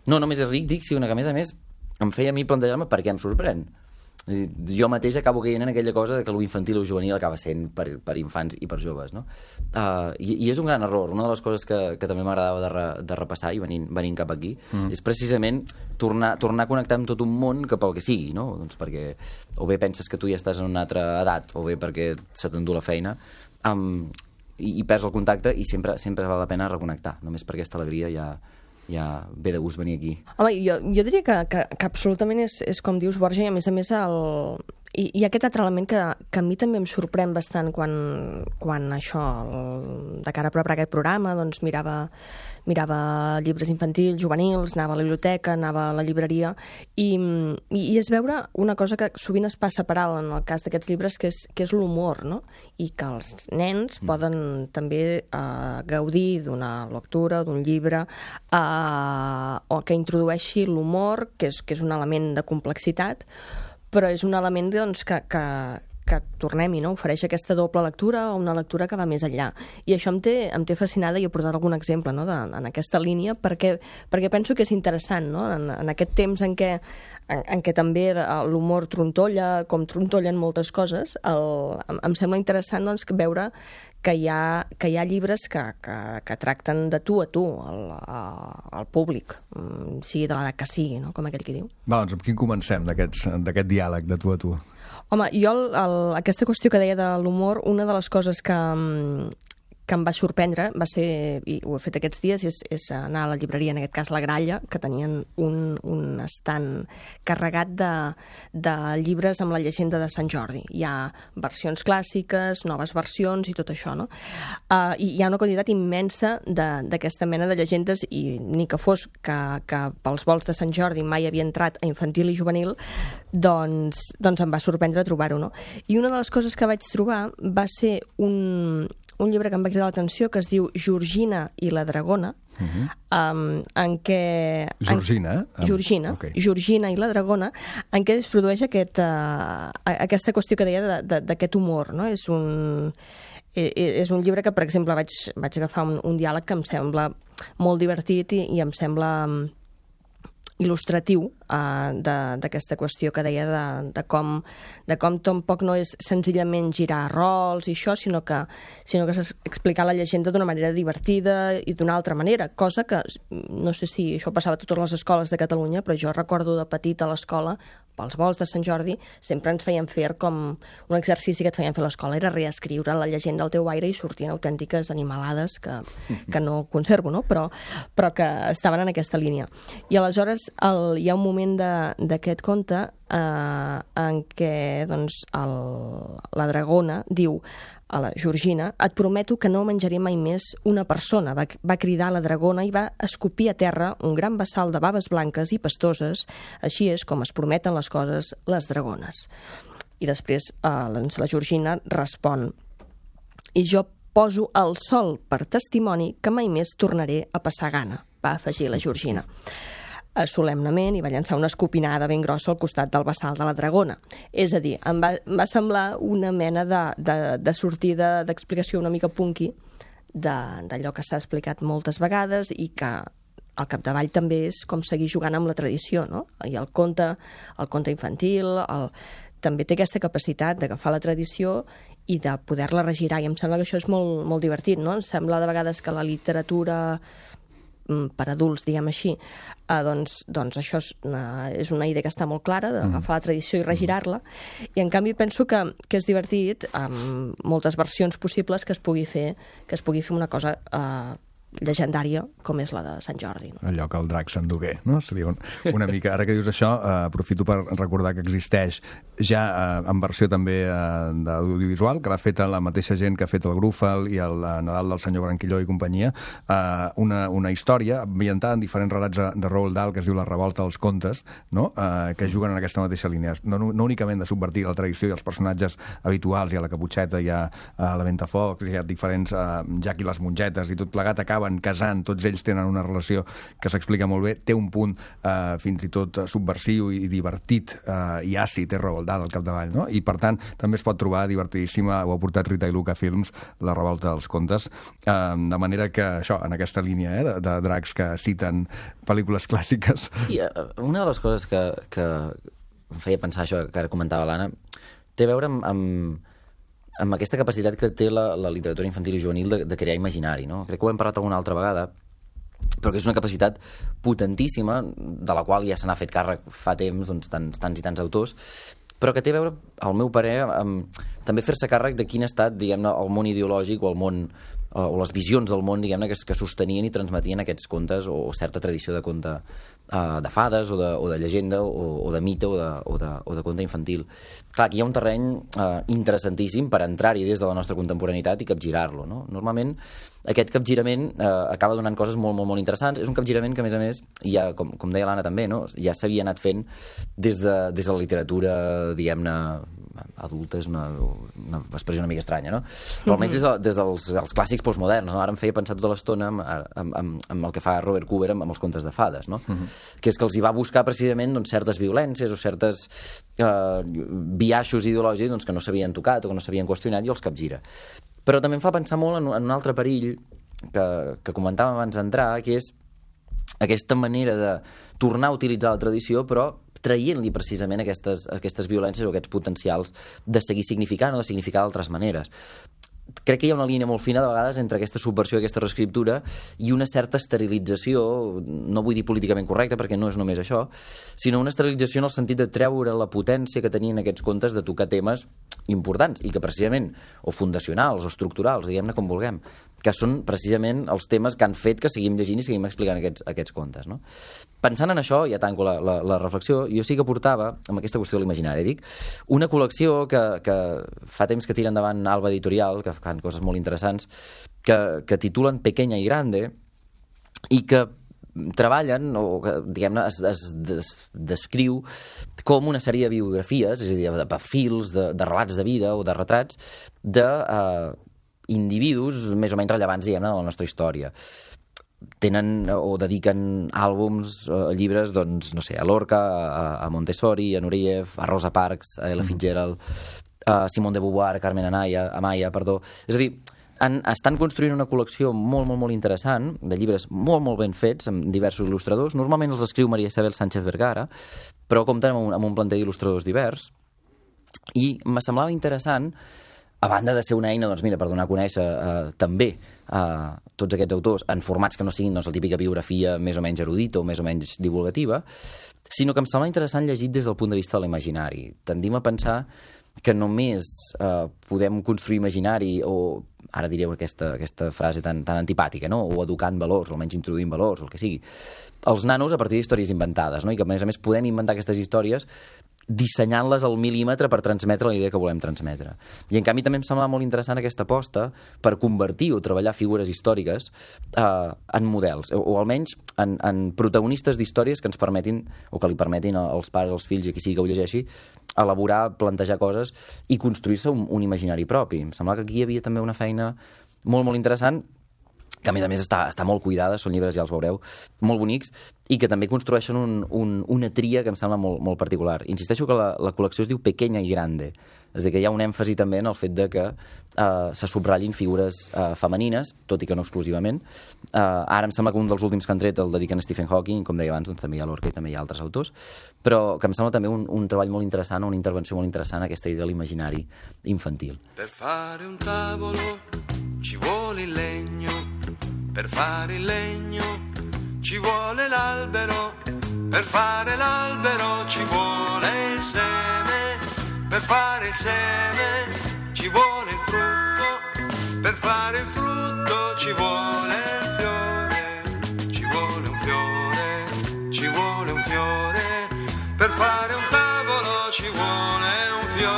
No només és ric, sinó que, a més, em feia a mi plantejar-me per què em sorprèn. Jo mateix acabo caient en aquella cosa que l'infantil o juvenil acaba sent per infants i per joves, no? I és un gran error. Una de les coses que també m'agradava de repassar i venint cap aquí és precisament tornar a connectar amb tot un món que pel que sigui, no? Doncs perquè o bé penses que tu ja estàs en una altra edat o bé perquè se t'endú la feina i perds el contacte i sempre val la pena reconnectar, només per aquesta alegria ja ve de gust venir aquí. Home, jo diria que absolutament és com dius, Borja, i a més hi ha aquest altre element que a mi també em sorprèn bastant quan això, de cara a preparar aquest programa, doncs mirava llibres infantils, juvenils, anava a la biblioteca, anava a la llibreria i és veure una cosa que sovint es passa per alt en el cas d'aquests llibres, que és l'humor, no? I que els nens poden també gaudir d'una lectura, d'un llibre, o que introdueixi l'humor, que és un element de complexitat, però és un element doncs, que tornem-hi, no? Ofereix aquesta doble lectura o una lectura que va més enllà. I això em té fascinada i he portat algun exemple, no? En aquesta línia perquè penso que és interessant, no? En aquest temps en què també l'humor trontolla, com trontollen moltes coses, em sembla interessant doncs, veure que hi ha llibres que tracten de tu a tu, al públic, sigui de l'edat que sigui, no? Com aquell qui diu. Va, doncs amb quin comencem d'aquest diàleg de tu a tu? Home, jo aquesta qüestió que deia de l'humor, una de les coses que em va sorprendre va ser, i ho he fet aquests dies, és anar a la llibreria, en aquest cas la Gralla, que tenien un estant carregat de llibres amb la llegenda de Sant Jordi. Hi ha versions clàssiques, noves versions i tot això, no? I hi ha una quantitat immensa d'aquesta mena de llegendes, i ni que fos que pels volts de Sant Jordi mai havia entrat a infantil i juvenil, doncs em va sorprendre trobar-ho, no? I una de les coses que vaig trobar va ser un llibre que em va cridar l'atenció, que es diu Georgina i la dragona, en què... Georgina, okay. Georgina i la dragona, en què es produeix aquesta qüestió que deia d'aquest humor, no? És un llibre que, per exemple, vaig agafar un diàleg que em sembla molt divertit i em sembla il·lustratiu d'aquesta qüestió que deia de com tampoc no és senzillament girar rols i això, sinó que explicar la llegenda d'una manera divertida i d'una altra manera, cosa que no sé si això passava a totes les escoles de Catalunya, però jo recordo de petit a l'escola, pels volts de Sant Jordi, sempre ens feien fer com un exercici que et feien fer a l'escola, era reescriure la llegenda al teu aire i sortien autèntiques animalades que no conservo, no? Però que estaven en aquesta línia. I aleshores hi ha un moment d'aquest conte en què doncs, la dragona diu a la Georgina: et prometo que no menjaré mai més una persona. Va cridar la dragona i va escopir a terra un gran bassal de baves blanques i pastoses. Així és com es prometen les coses les dragones. I després la Georgina respon: i jo poso el sol per testimoni que mai més tornaré a passar gana, va afegir la Georgina. solemnament i va llançar una escopinada ben grossa al costat del bassal de la dragona. És a dir, em va semblar una mena de sortida d'explicació una mica punky d'allò que s'ha explicat moltes vegades i que al capdavall també és com seguir jugant amb la tradició, no? I el conte infantil, també té aquesta capacitat d'agafar la tradició i de poder-la regirar, i em sembla que això és molt, molt divertit, no? Em sembla de vegades que la literatura per adults, diguem així, doncs això és una idea que està molt clara, d'agafar la tradició i regirar-la, i en canvi penso que és divertit amb moltes versions possibles que es pugui fer una cosa llegendària com és la de Sant Jordi. No? Allò que el drac s'endugué, no? Seria una mica... Ara que dius això, aprofito per recordar que existeix ja en versió també d'audiovisual, que l'ha fet la mateixa gent que ha fet el Grúfal i el Nadal del senyor Branquilló i companyia, una història ambientada en diferents relats de Roald Dahl que es diu La revolta dels contes, no? Que juguen en aquesta mateixa línia. No únicament de subvertir la tradició i els personatges habituals, hi ha la Caputxeta, hi ha la Ventafocs, hi ha diferents Jack i les mongetes i tot plegat acaben casant, tots ells tenen una relació que s'explica molt bé, té un punt fins i tot subversiu i divertit i àcid, té Roald Dahl al capdavall, no? I per tant també es pot trobar divertidíssima, ho ha portat Rita i Luca Films, La revolta dels contes, de manera que això, en aquesta línia de dracs que citen pel·lícules clàssiques. Sí, una de les coses que em feia pensar això que ara comentava l'Anna té a veure amb aquesta capacitat que té la literatura infantil i juvenil de crear imaginari, no? Crec que ho hem parlat alguna altra vegada, però que és una capacitat potentíssima, de la qual ja se n'ha fet càrrec fa temps, doncs, tants i tants autors, però que té a veure, al meu parer, amb també fer-se càrrec de quin ha estat, diguem-ne, el món ideològic o el món o les visions del món, diguem-ne, que sostenien i transmetien aquests contes o certa tradició de conte de fades o de llegenda o de mite o de conte infantil. Clar, aquí hi ha un terreny interessantíssim per entrar-hi des de la nostra contemporaneitat i capgirar-lo, no? Normalment aquest capgirament acaba donant coses molt, molt, molt interessants. És un capgirament que, a més, ja, com deia l'Anna també, no? Ja s'havia anat fent des de la literatura, diguem-ne, adulta, és una expressió una mica estranya, no? Però almenys des dels clàssics postmoderns, no? Ara em feia pensar tota l'estona amb el que fa Robert Cooper amb els contes de fades, no? Que és que els hi va buscar precisament certes violències o certes biaixos ideològics que no s'havien tocat o que no s'havien qüestionat i els capgira. Però també em fa pensar molt en un altre perill que comentàvem abans d'entrar, que és aquesta manera de tornar a utilitzar la tradició, però traient-li precisament aquestes violències o aquests potencials de seguir significant o de significar d'altres maneres. Crec que hi ha una línia molt fina de vegades entre aquesta subversió i aquesta reescriptura i una certa esterilització, no vull dir políticament correcta perquè no és només això, sinó una esterilització en el sentit de treure la potència que tenien aquests contes de tocar temes importants i que precisament, o fundacionals o estructurals, diguem-ne com vulguem, que són precisament els temes que han fet que seguim llegint i seguim explicant aquests contes, no? Pensant en això, ja tanco la reflexió, jo sí que portava, amb aquesta qüestió de l'imaginari, una col·lecció que fa temps que tira endavant Alba Editorial, que fan coses molt interessants, que titulen Pequeña y Grande, i que treballen, o que, diguem-ne, es descriu com una sèrie de biografies, és a dir, de perfils, de relats de vida o de retrats d'individus més o menys rellevants, diguem-ne, de la nostra història. Tenen o dediquen àlbums, llibres, doncs, no sé, a Lorca, a Montessori, a Nureyev, a Rosa Parks, a Ella Fitzgerald, a Simone de Beauvoir, a Carmen Amaya, perdó. És a dir, estan construint una col·lecció molt, molt, molt interessant de llibres molt, molt ben fets, amb diversos il·lustradors. Normalment els escriu Maria Isabel Sánchez Vergara, però compten amb un planter d'il·lustradors divers. I me semblava interessant, a banda de ser una eina, doncs mira, per donar a conèixer també tots aquests autors en formats que no siguin la típica biografia més o menys erudita o més o menys divulgativa, sinó que em sembla interessant llegit des del punt de vista de l'imaginari. Tendim a pensar que només podem construir imaginari o, ara direu aquesta frase tan antipàtica, no? O educant valors, o almenys introduint valors, o el que sigui, els nanos a partir d'històries inventades, no? I que a més podem inventar aquestes històries dissenyant-les al mil·límetre per transmetre la idea que volem transmetre. I en canvi també em sembla molt interessant aquesta aposta per convertir o treballar figures històriques en models, o almenys en protagonistes d'històries que ens permetin, o que li permetin als pares, als fills i a qui sigui que ho llegeixi, elaborar, plantejar coses i construir-se un imaginari propi. Em sembla que aquí hi havia també una feina molt, molt interessant que a més està molt cuidada, són llibres, ja els veureu, molt bonics, i que també construeixen una tria que em sembla molt particular. Insisteixo que la col·lecció es diu Pequeña y Grande, és a dir, que hi ha un èmfasi també en el fet de que se subratllin figures femenines, tot i que no exclusivament. Ara em sembla que un dels últims que han tret el dediquen a Stephen Hawking, com deia abans, doncs també hi ha Lorca i també hi ha altres autors, però que em sembla també un treball molt interessant, una intervenció molt interessant a aquesta idea de l'imaginari infantil. Per fare un tavolo ci vuole il legno, per fare il legno ci vuole l'albero, per fare l'albero ci vuole il seme, per fare il seme ci vuole il frutto, per fare il frutto ci vuole il fiore, ci vuole un fiore, ci vuole un fiore, per fare un tavolo ci vuole un fiore.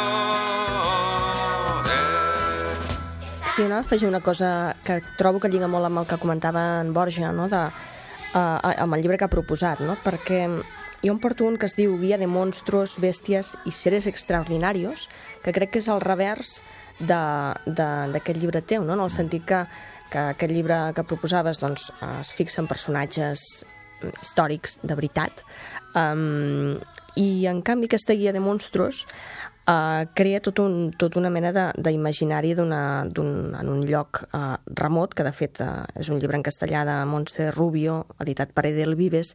Sí, no? Afegir una cosa que trobo que lliga molt amb el que comentava en Borja, no? Amb el llibre que ha proposat, no? Perquè jo em porto un que es diu Guia de monstruos, bèsties i seres extraordinarios, que crec que és el revers d'aquest llibre teu, no? En el sentit que aquest llibre que proposaves doncs, es fixa en personatges històrics de veritat, i en canvi aquesta Guia de monstruos crea tota una mena d'imaginari en un lloc remot, que de fet és un llibre en castellà de Montse Rubio, editat per Edelvives,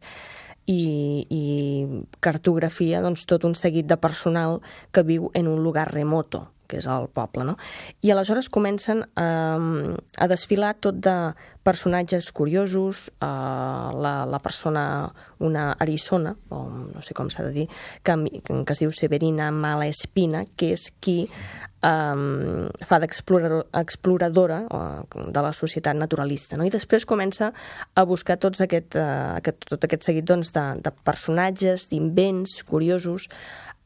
i cartografia doncs, tot un seguit de personal que viu en un lugar remoto, que és el poble, no? I aleshores comencen a desfilar tot de personatges curiosos, la persona, una eriçona, o no sé com s'ha de dir, que es diu Severina Malaspina, que és qui fa d'exploradora de la societat naturalista, no? I després comença a buscar tot aquest seguit doncs, de personatges, d'invents curiosos,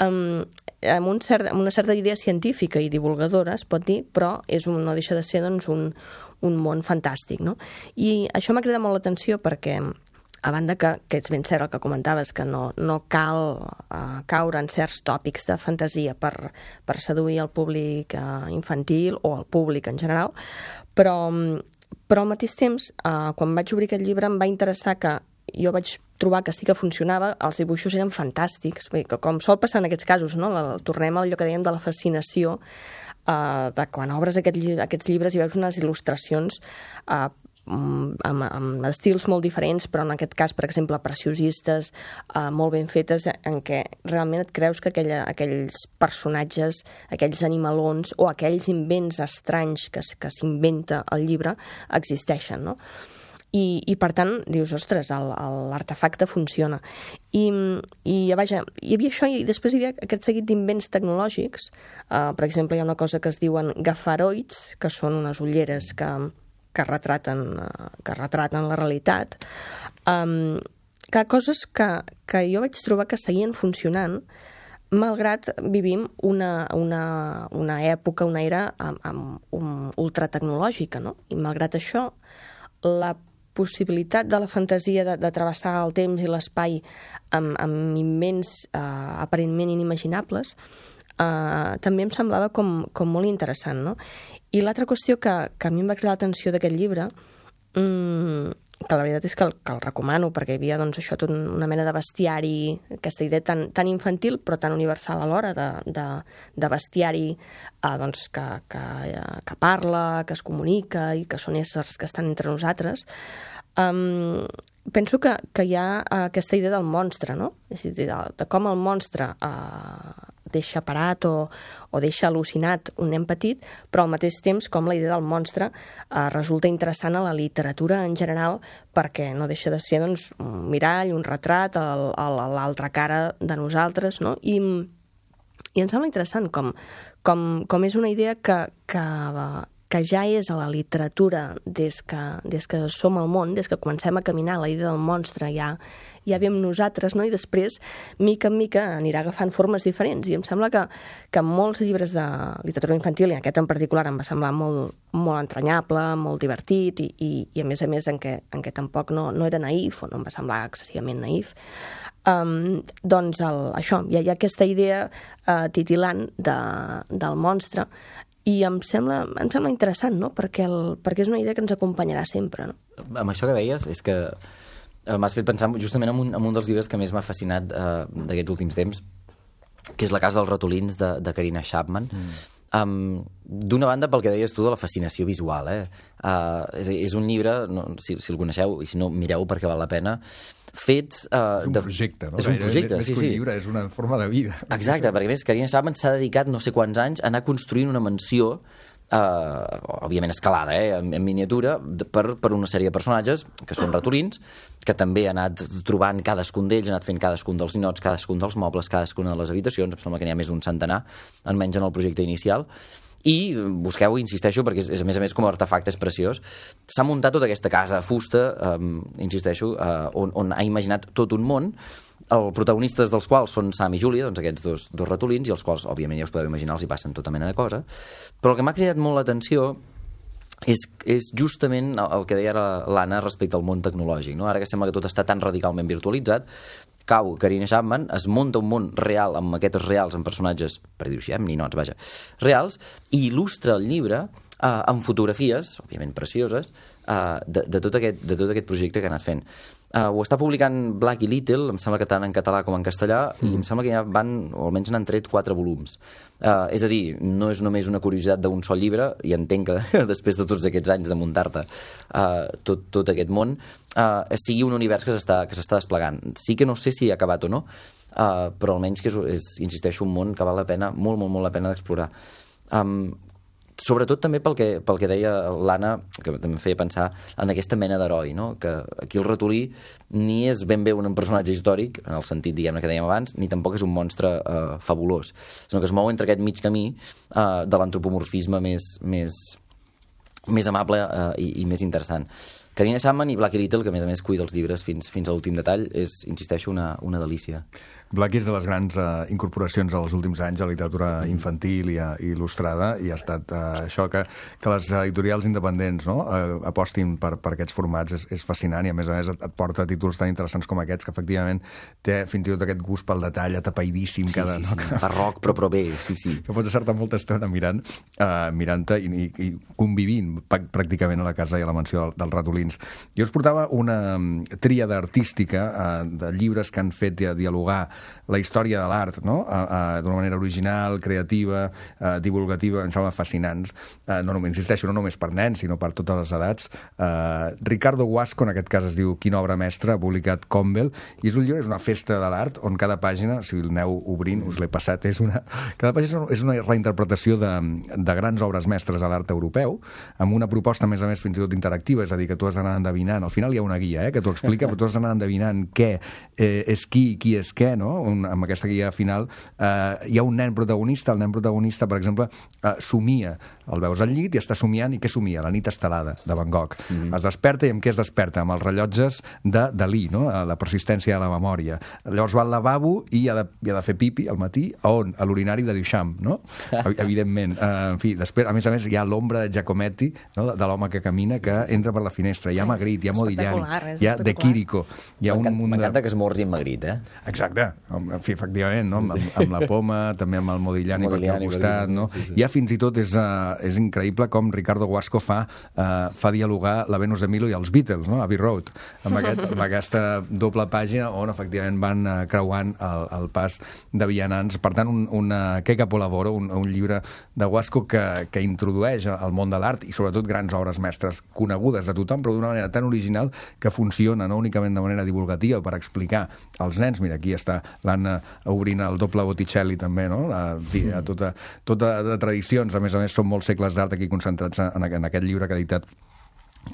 amb una certa idea científica i divulgadora, es pot dir, però no deixa de ser doncs, un món fantàstic, no? I això m'ha cridat molt l'atenció perquè, a banda que és ben cert el que comentaves, que no cal caure en certs tòpics de fantasia per seduir el públic infantil o el públic en general, però al mateix temps, quan vaig obrir aquest llibre, em va interessar que jo vaig trobar que sí que funcionava, els dibuixos eren fantàstics, com sol passar en aquests casos, no? Tornem a allò que dèiem de la fascinació, de quan obres aquests llibres i veus unes il·lustracions amb estils molt diferents, però en aquest cas, per exemple, preciosistes, molt ben fetes, en què realment et creus que aquells personatges, aquells animalons o aquells invents estranys que s'inventa el llibre existeixen, no? I per tant, dius, ostres, l'artefacte funciona. I vaja, hi havia això i després hi havia aquest seguit d'invents tecnològics. Per exemple, hi ha una cosa que es diuen gafaroids, que són unes ulleres que retraten la realitat. Coses que jo vaig trobar que seguien funcionant, malgrat vivim una època, una era ultratecnològica, no? I malgrat això, la possibilitat de la fantasia de travessar el temps i l'espai amb invents aparentment inimaginables també em semblava com molt interessant, no? I l'altra qüestió que a mi em va cridar l'atenció d'aquest llibre, que la veritat és que el recomano, perquè hi havia doncs, això, tota una mena de bestiari, aquesta idea tan infantil però tan universal alhora, de bestiari doncs, que parla, que es comunica i que són éssers que estan entre nosaltres. Penso que hi ha aquesta idea del monstre, no? És a dir, de com el monstre deixa parat o deixa al·lucinat un nen petit, però al mateix temps com la idea del monstre resulta interessant a la literatura en general, perquè no deixa de ser doncs, un mirall, un retrat a l'altra cara de nosaltres, no? I em sembla interessant com és una idea que ja és a la literatura des que som al món, des que comencem a caminar, la idea del monstre ja veiem nosaltres, no? I després, mica en mica, anirà agafant formes diferents. I em sembla que molts llibres de literatura infantil, i aquest en particular em va semblar molt, molt entranyable, molt divertit, i a més en què tampoc no era naïf, o no em va semblar excessivament naïf, doncs això, hi ha aquesta idea titilant del monstre, i em sembla interessant, no? Perquè és una idea que ens acompanyarà sempre, no? Amb això que deies, és que m'has fet pensar justament en un dels llibres que més m'ha fascinat d'aquests últims temps, que és La casa dels ratolins, de Karina Chapman. D'una banda, pel que deies tu de la fascinació visual, és un llibre, si el coneixeu, i si no, mireu perquè val la pena, fet... És un projecte, no? És un projecte, més que un llibre, és una forma de vida. Exacte, perquè a més, Karina Chapman s'ha dedicat no sé quants anys a anar construint una mansió, òbviament escalada, en miniatura, per una sèrie de personatges que són ratolins, que també ha anat trobant cadascun d'ells, ha anat fent cadascun dels ninots, cadascun dels mobles, cadascuna de les habitacions, em sembla que n'hi ha més d'un centenar, almenys en el projecte inicial, i busqueu, insisteixo, perquè és a més com a artefacte és preciós, s'ha muntat tota aquesta casa de fusta, insisteixo, on ha imaginat tot un món, els protagonistes dels quals són Sam i Júlia, doncs aquests dos ratolins, i els quals, òbviament, ja us podeu imaginar, els hi passen tota mena de cosa. Però el que m'ha cridat molt l'atenció és justament el que deia l'Anna respecte al món tecnològic, no? Ara que sembla que tot està tan radicalment virtualitzat, cau Karina Chapman, es munta un món real amb maquetes reals, amb personatges, per dir-ho així, amb ninots, vaja, reals, i il·lustra el llibre amb fotografies, òbviament precioses, de tot aquest projecte que ha anat fent. Ho està publicant Black i Little, em sembla que tant en català com en castellà, i em sembla que ja van, o almenys n'han tret 4 volums. És a dir, no és només una curiositat d'un sol llibre, i entenc que després de tots aquests anys de muntar-te tot aquest món, sigui un univers que s'està desplegant. Sí que no sé si ha acabat o no, però almenys que és, insisteixo, un món que val la pena, molt, molt, molt la pena d'explorar. Sobretot també pel que deia l'Anna, que també em feia pensar en aquesta mena d'heroi, no? Que aquí el ratolí ni és ben bé un personatge històric, en el sentit, diguem-ne, que dèiem abans, ni tampoc és un monstre fabulós, sinó que es mou entre aquest mig camí de l'antropomorfisme més amable i més interessant. Karina Chapman i Black i Little, que a més cuida els llibres fins a l'últim detall, és, insisteixo, una delícia. Black és de les grans incorporacions als últims anys a la literatura infantil i il·lustrada, i ha estat això que les editorials independents, no, apostin per aquests formats és fascinant, i a més et porta títols tan interessants com aquests, que efectivament té fins i tot aquest gust pel detall atapeïdíssim. Sí, barroc però bé, sí. Que pots estar-te molta estona mirant-te i convivint pràcticament a la casa i a la mansió dels ratolins. Jo us portava una tríada artística de llibres que han fet dialogar la història de l'art, no? D'una manera original, creativa, divulgativa, em sembla fascinants. No només, insisteixo, no només per nens, sinó per totes les edats. Ricardo Guasco, en aquest cas es diu Quina obra mestra, ha publicat Campbell, i és un llibre, és una festa de l'art, on cada pàgina, si el aneu obrint, us l'he passat, cada pàgina és una reinterpretació de grans obres mestres de l'art europeu, amb una proposta, a més fins i tot interactiva, és a dir, que tu has d'anar endevinant, al final hi ha una guia, que t'ho explica, però tu has d'anar endevinant què és qui és què, no? Amb aquesta guia final hi ha un nen protagonista, el nen protagonista, per exemple, somia, el veus al llit i està somiant, i què somia? La nit estelada, de Van Gogh. Es desperta, i amb què es desperta? Amb els rellotges de Dalí, no? La persistència de la memòria. Llavors va al lavabo i ha de fer pipi al matí, on? A l'urinari de Duchamp, no? Evidentment. En fi, després, a més, hi ha l'ombra de Giacometti, no? De l'home que camina, que entra per la finestra. Hi ha Magritte, hi ha Modigliani, hi ha De Chirico. M'encanta que es morgi en Magritte, Exacte. En fi, efectivament, no? Amb la poma, també amb el Modigliani per aquí al costat, no? Ja fins i tot és increïble com Ricardo Guasco fa dialogar la Venus de Milo i els Beatles, no? Abbey Road, amb aquesta doble pàgina on efectivament van creuant el pas de vianants. Per tant, Che capolavoro, un llibre de Guasco que introdueix al món de l'art i sobretot grans obres mestres conegudes de tothom, però d'una manera tan original que funciona no únicament de manera divulgativa per explicar als nens. Mira, aquí està l'Anna obrint el doble Botticelli també, no? Tota de tradicions, a més són molts segles d'art aquí concentrats en aquest llibre que ha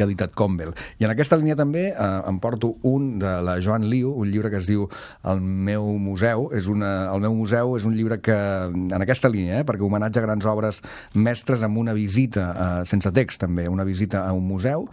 editat Campbell. I en aquesta línia també em porto un de la Joan Liu, un llibre que es diu El meu museu. El meu museu és un llibre que, en aquesta línia, perquè homenatja grans obres mestres amb una visita, sense text també, una visita a un museu,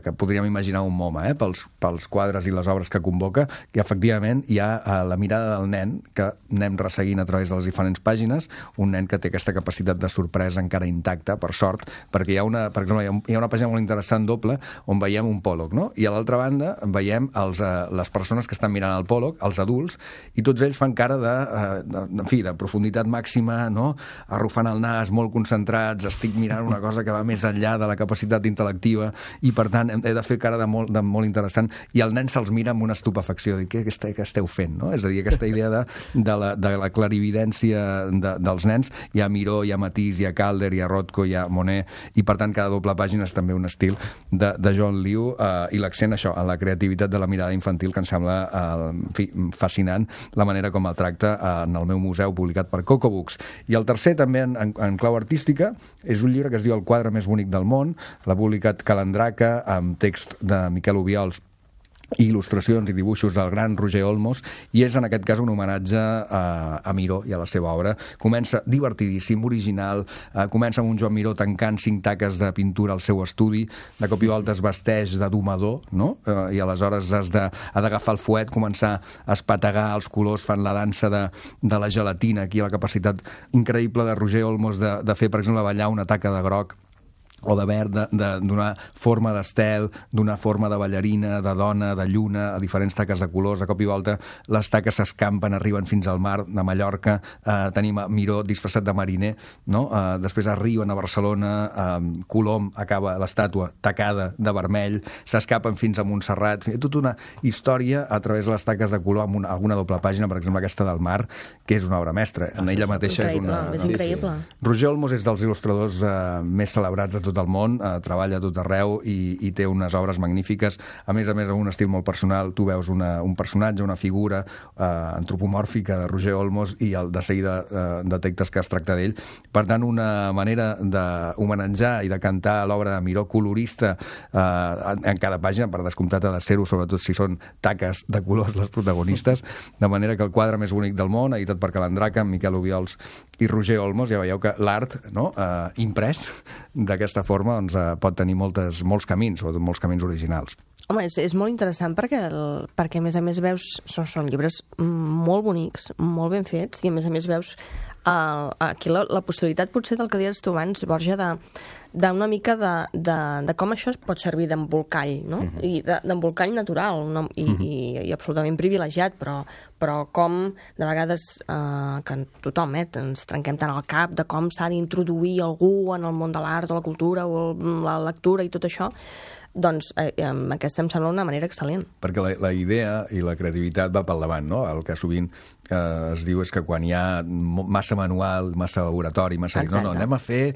que podríem imaginar un MoMA, pels quadres i les obres que convoca, i efectivament hi ha la mirada del nen, que anem resseguint a través de les diferents pàgines, un nen que té aquesta capacitat de sorpresa encara intacta, per sort, perquè per exemple, hi ha una pàgina molt interessant doble, on veiem un pòleg, no? I a l'altra banda veiem les persones que estan mirant el pòleg, els adults, i tots ells fan cara de profunditat màxima, no? Arrufant el nas, molt concentrats, estic mirant una cosa que va més enllà de la capacitat intel·lectiva, i per tant he de fer cara de molt interessant, i el nen se'ls mira amb una estupefacció, de què esteu fent, no? És a dir, aquesta idea de la clarividència dels nens. Hi ha Miró, hi ha Matisse, hi ha Calder, hi ha Rothko, hi ha Monet, i per tant cada doble pàgina és també un estil de John Liu, i l'accent això, en la creativitat de la mirada infantil, que em sembla fascinant la manera com el tracta en el meu museu publicat per Coco Books. I el tercer, també en clau artística, és un llibre que es diu El quadre més bonic del món, l'ha publicat Calandraca, amb text de Miquel Obiols i il·lustracions i dibuixos del gran Roger Olmos, i és en aquest cas un homenatge a Miró i a la seva obra. Comença divertidíssim, original, comença amb un Joan Miró tancant 5 taques de pintura al seu estudi, de cop i volta es vesteix de domador, no? I aleshores ha d'agafar el fuet, començar a espategar els colors, fan la dansa de la gelatina, aquí la capacitat increïble de Roger Olmos de fer, per exemple, ballar una taca de groc o de verd, de donar forma d'estel, donar forma de ballarina, de dona, de lluna, a diferents taques de colors. De cop i volta les taques s'escampen, arriben fins al mar de Mallorca, tenim Miró disfressat de mariner, no? Després arriben a Barcelona, Colom acaba l'estàtua tacada de vermell, s'escapen fins a Montserrat, tota una història a través de les taques de color amb alguna doble pàgina, per exemple aquesta del mar, que és una obra mestra. En ella mateixa és una... És increïble. Roger Olmos és dels il·lustradors més celebrats de tot el món, treballa a tot arreu i té unes obres magnífiques, a més, amb un estil molt personal. Tu veus un personatge, una figura antropomòrfica de Roger Olmos i de seguida detectes que es tracta d'ell. Per tant, una manera d'homenatjar i de cantar l'obra de Miró, colorista en cada pàgina, per descomptat ha de ser-ho, sobretot si són taques de colors les protagonistes, de manera que El quadre més bonic del món, editat per Calandraca, amb Miquel Obiols i Roger Olmos, ja veieu que l'art, no?, imprès d'aquesta forma, doncs, pot tenir molts camins, sobretot molts camins originals. Home, és molt interessant perquè a més a més veus, són llibres molt bonics, molt ben fets, i a més veus aquí la possibilitat potser del que deies tu abans, Borja, d'una mica de com això pot servir d'embolcall, no? I d'embolcall natural, no? I absolutament privilegiat, però com de vegades que tothom ens trenquem tant al cap de com s'ha d'introduir algú en el món de l'art o la cultura o la lectura i tot això, doncs aquesta em sembla una manera excel·lent. Perquè la idea i la creativitat va pel davant, no? El que sovint es diu és que quan hi ha massa manual, massa laboratori, no, anem a fer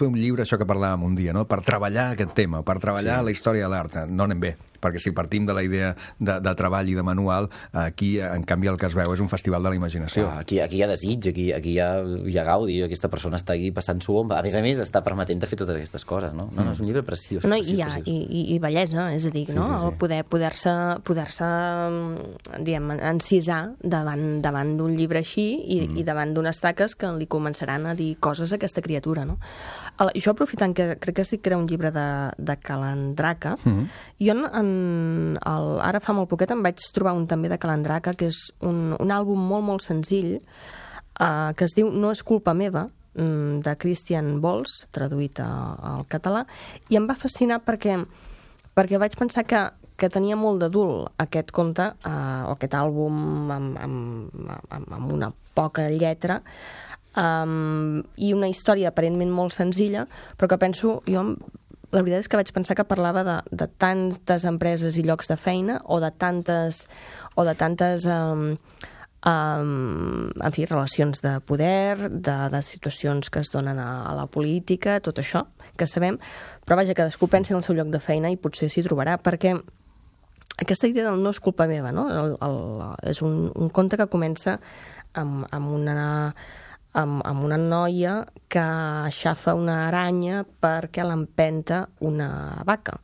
un llibre, això que parlàvem un dia, no? Per treballar aquest tema, per treballar la història de l'art. No anem bé, perquè si partim de la idea de treball i de manual, aquí, en canvi, el que es veu és un festival de la imaginació. Aquí hi ha desig, aquí hi ha gaudi, aquesta persona està aquí passant-s'ho bomba. A més, està permetent de fer totes aquestes coses, no? No, és un llibre preciós. No, i bellesa, és a dir, no? El poder-se diguem, encisar davant d'un llibre així i davant d'unes taques que li començaran a dir coses a aquesta criatura, no? Jo, aprofitant que crec que sí que era un llibre de Calandraca, jo ara fa molt poquet em vaig trobar un també de Calandraca, que és un àlbum molt senzill, que es diu No és culpa meva, de Christian Bols, traduït al català, i em va fascinar perquè vaig pensar que tenia molt d'adult aquest conte, o aquest àlbum amb una poca lletra, i una història aparentment molt senzilla, però que penso, la veritat és que vaig pensar que parlava de tantes empreses i llocs de feina, o de tantes en fi, relacions de poder, de situacions que es donen a la política, tot això que sabem, però vaja, cadascú pensi en el seu lloc de feina i potser s'hi trobarà, perquè aquesta idea del no és culpa meva, no? És un conte que comença amb una noia que aixafa una aranya perquè l'empenta una vaca.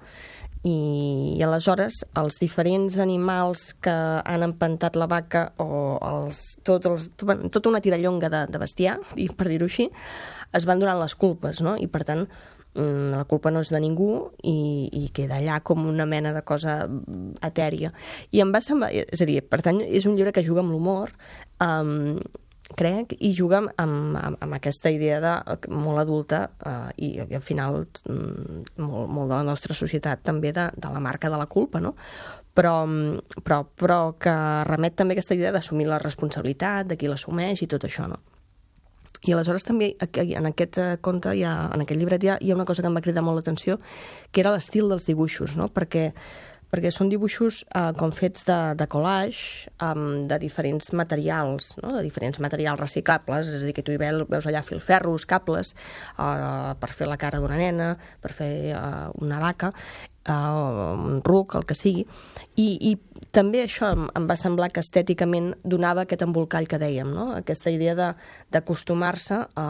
I aleshores els diferents animals que han empentat la vaca o tota una tirallonga de bestiar, per dir-ho així, es van donant les culpes, no? I per tant la culpa no és de ningú i queda allà com una mena de cosa etèria. I em va semblar, és a dir, per tant, és un llibre que juga amb l'humor, crec, i juga amb aquesta idea molt adulta i al final molt de la nostra societat també de la marca de la culpa, no? Però que remet també a aquesta idea d'assumir la responsabilitat, de qui l'assumeix i tot això, no? I aleshores també en aquest conte, en aquest llibret hi ha una cosa que em va cridar molt l'atenció, que era l'estil dels dibuixos, no? Perquè són dibuixos com fets de collage, de diferents materials, no? De diferents materials reciclables, és a dir, que tu hi veus allà filferros, cables, per fer la cara d'una nena, per fer una vaca, un ruc, el que sigui, i també això em va semblar que estèticament donava aquest embolcall que dèiem, no? Aquesta idea d'acostumar-se a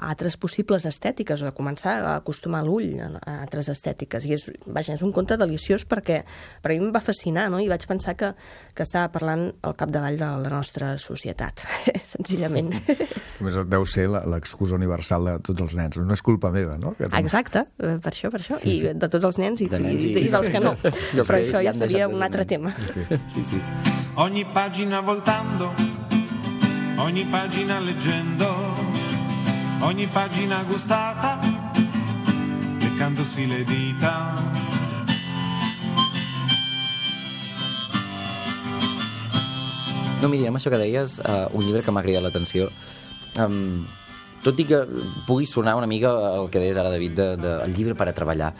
altres possibles estètiques, o de començar a acostumar l'ull a altres estètiques, i és un conte deliciós perquè a mi em va fascinar, no? I vaig pensar que estava parlant al capdavall de la nostra societat, senzillament. Només deu ser l'excusa universal de tots els nens, no és culpa meva, no? Exacte, per això, i de tots els nens i dels que no, però això ja seria un altre tema. Sì. Ogni pagina voltando, ogni pagina leggendo, ogni pagina gustata, leccandosi le dita. No, miri, amb això que deies, un llibre que m'ha cridat l'atenció, tot i que pugui sonar una mica el que deies ara, David, del llibre per a treballar,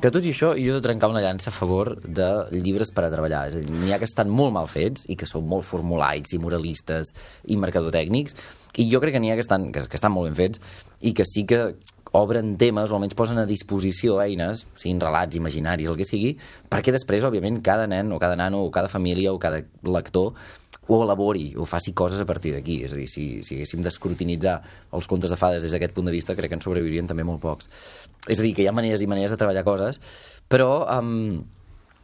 que tot i això jo he de trencar una llança a favor de llibres per a treballar. És a dir, n'hi ha que estan molt mal fets i que són molt formulaics i moralistes i mercadotècnics, i jo crec que n'hi ha que estan molt ben fets i que sí que obren temes o almenys posen a disposició eines, siguin relats, imaginaris, el que sigui, perquè després, òbviament, cada nen o cada nano o cada família o cada lector ho elabori o faci coses a partir d'aquí. És a dir, si haguéssim d'escrutinitzar els contes de fades des d'aquest punt de vista, crec que en sobreviurien també molt pocs. És a dir, que hi ha maneres i maneres de treballar coses, però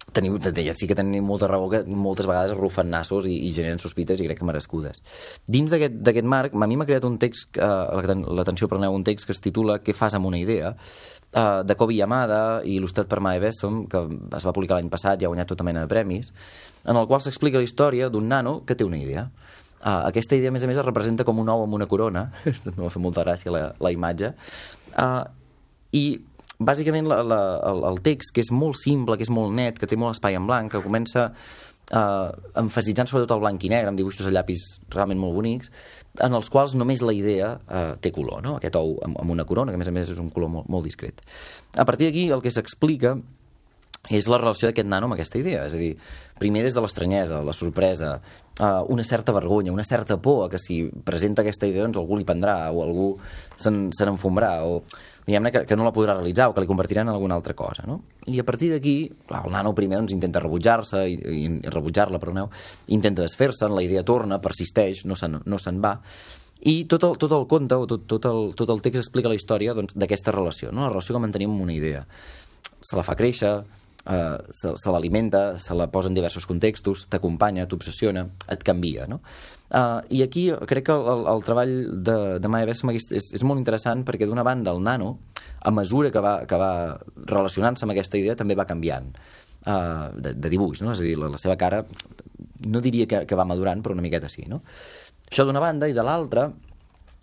sí que tenim molta raó que moltes vegades arrufen nassos i generen sospites, i crec que merescudes. Dins d'aquest marc, a mi m'ha creat un text, l'atenció, preneu, un text que es titula Què fas amb una idea?, de Kobi Yamada i il·lustrat per Mae Bessom, que es va publicar l'any passat i ha guanyat tota mena de premis, en el qual s'explica la història d'un nano que té una idea. Aquesta idea, a més es representa com un ou amb una corona, m'ha fet molta gràcia la imatge, i bàsicament el text, que és molt simple, que és molt net, que té molt espai en blanc, que comença emfasitzant sobretot el blanc i negre, amb dibuixos a llapis realment molt bonics, en els quals només la idea té color, no? Aquest ou amb una corona, que a més és un color molt discret. A partir d'aquí el que s'explica és la relació d'aquest nano amb aquesta idea, és a dir, primer des de l'estranyesa, la sorpresa, una certa vergonya, una certa por a que si presenta aquesta idea doncs algú li prendrà o algú se n'enfombrà o diguem-ne que no la podrà realitzar o que li convertirà en alguna altra cosa, no? I a partir d'aquí, el nano primer doncs, intenta rebutjar-la, intenta desfer-se'n, la idea torna, persisteix, no se'n va, i tot el conte o tot el text explica la història d'aquesta relació, no? La relació que mantenim amb una idea. Se la fa créixer, se l'alimenta, se la posa en diversos contextos, t'acompanya, t'obsessiona, et canvia, no? I aquí crec que el treball de Mae Bessom és molt interessant perquè d'una banda el nano, a mesura que va relacionant-se amb aquesta idea, també va canviant de dibuix, no? És a dir, la seva cara no diria que va madurant, però una miqueta sí, no? Això d'una banda, i de l'altra,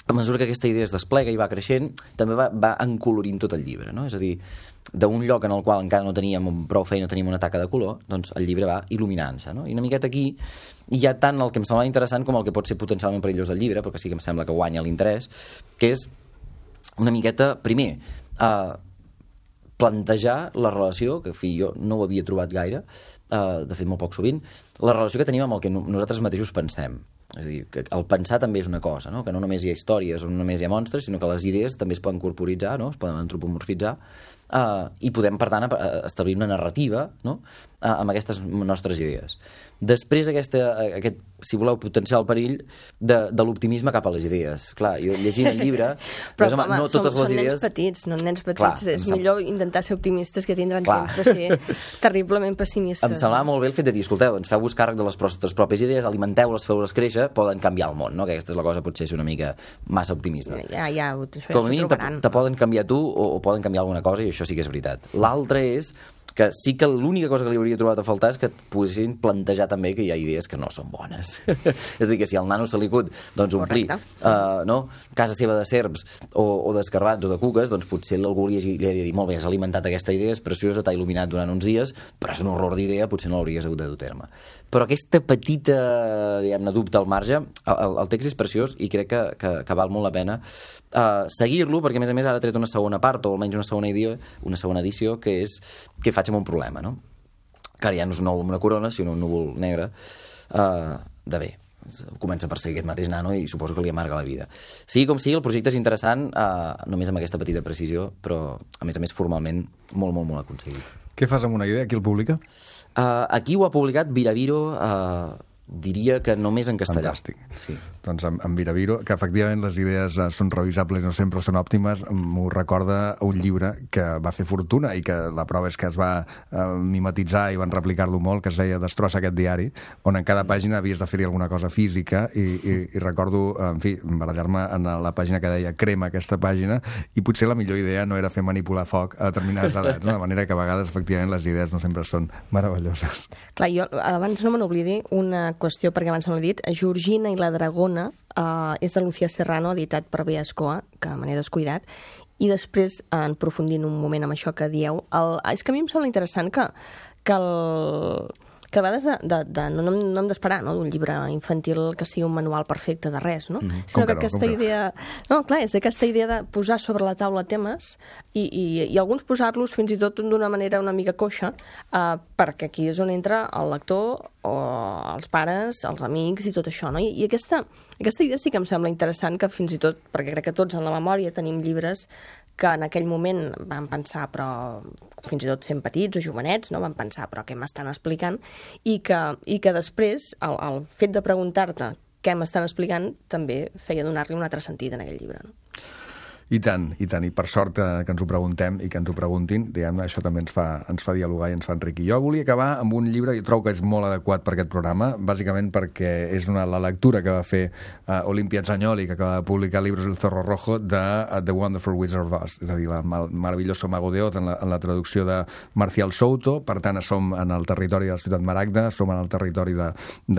a mesura que aquesta idea es desplega i va creixent, també va encolorint tot el llibre, no? És a dir, d'un lloc en el qual encara no teníem prou feina, teníem una taca de color, doncs el llibre va il·luminant-se, no? I una miqueta aquí hi ha tant el que em sembla interessant com el que pot ser potencialment perillós del llibre, però que sí que em sembla que guanya l'interès, que és una miqueta, primer, plantejar la relació, que jo no ho havia trobat gaire, de fet molt poc sovint, la relació que tenim amb el que nosaltres mateixos pensem. És a dir, que el pensar també és una cosa, no? Que no només hi ha històries o no només hi ha monstres, sinó que les idees també es poden corporitzar, no? Es poden antropomorfitzar, i podem, per tant, establir una narrativa, no? Amb aquestes nostres idees. Després aquest, si voleu, potenciar el perill de l'optimisme cap a les idees. Clar, jo llegint el llibre... Però, home, no totes les idees... Són nens petits. Clar, és millor intentar ser optimistes que tindran temps de ser terriblement pessimistes. Em semblava molt bé el fet de dir, escolteu, ens feu-vos càrrec de les vostres pròpies idees, alimenteu-les, feu-les créixer, poden canviar el món, no? Que aquesta és la cosa, potser és una mica massa optimista. Ja, com a mínim te poden canviar tu o poden canviar alguna cosa, i això sí que és veritat. L'altre és que sí que l'única cosa que li hauria trobat a faltar és que et poguessin plantejar també que hi ha idees que no són bones. És a dir, que si al nano se li acut doncs, omplir casa seva de serps o d'escarbats o de cuques, doncs potser algú li ha de dir, molt bé, has alimentat aquesta idea, és preciosa, t'ha il·luminat durant uns dies, però és un horror d'idea, potser no l'hauries hagut de dur a terme. Però aquesta petita, diguem-ne, dubte al marge, el text és preciós i crec que val molt la pena seguir-lo, perquè a més ara ha tret una segona part, o almenys una segona edició, que és què faig amb un problema, no? Que ara ja no és un nou amb una corona, sinó un núvol negre de bé. Comença per ser aquest mateix nano i suposo que li amarga la vida. Sigui com sigui, el projecte és interessant, només amb aquesta petita precisió, però a més formalment molt, molt, molt aconseguit. Què fas amb una idea? Qui el publica? Aquí ho ha publicat Viraviro, diria que només en castellà. Fantàstic. Sí. Doncs amb Viraviro, que efectivament les idees són revisables, no sempre són òptimes, m'ho recorda un llibre que va fer fortuna i que la prova és que es va mimetitzar i van replicar-lo molt, que es deia Destrossa aquest diari, on en cada pàgina havies de fer-hi alguna cosa física i recordo, en fi, barallar-me en la pàgina que deia crema aquesta pàgina i potser la millor idea no era fer manipular foc a determinades edats, no? De manera que a vegades efectivament les idees no sempre són meravelloses. Clar, jo abans no me n'oblidi una qüestió, perquè abans me l'he dit, Georgina i la Dragona és de Lucía Serrano, editat per Beascoa, que me n'he descuidat, i després, en aprofundint un moment amb això que dieu, és que a mi em sembla interessant que a vegades no hem d'esperar d'un llibre infantil que sigui un manual perfecte de res, no? Sinó que aquesta idea... No, clar, és aquesta idea de posar sobre la taula temes i alguns posar-los fins i tot d'una manera una mica coixa, perquè aquí és on entra el lector o els pares, els amics i tot això, no? I aquesta idea sí que em sembla interessant, que fins i tot, perquè crec que tots en la memòria tenim llibres que en aquell moment vam pensar, però fins i tot sent petits o jovenets, no? Vam pensar, però què m'estan explicant? I que després, el fet de preguntar-te què m'estan explicant, també feia donar-li un altre sentit en aquell llibre, no? I tant, i per sort que ens ho preguntem i que ens ho preguntin, diguem-ne, això també ens fa dialogar i ens fa enriquir. Jo volia acabar amb un llibre que trobo que és molt adequat per aquest programa, bàsicament perquè és la lectura que va fer Olimpia Zagnoli, que acaba de publicar Libros del Zorro Rojo, de The Wonderful Wizard of Oz, és a dir, el maravilloso Mago de Oz, en la traducció de Marcial Souto. Per tant, som en el territori de la ciutat Maragda, som en el territori de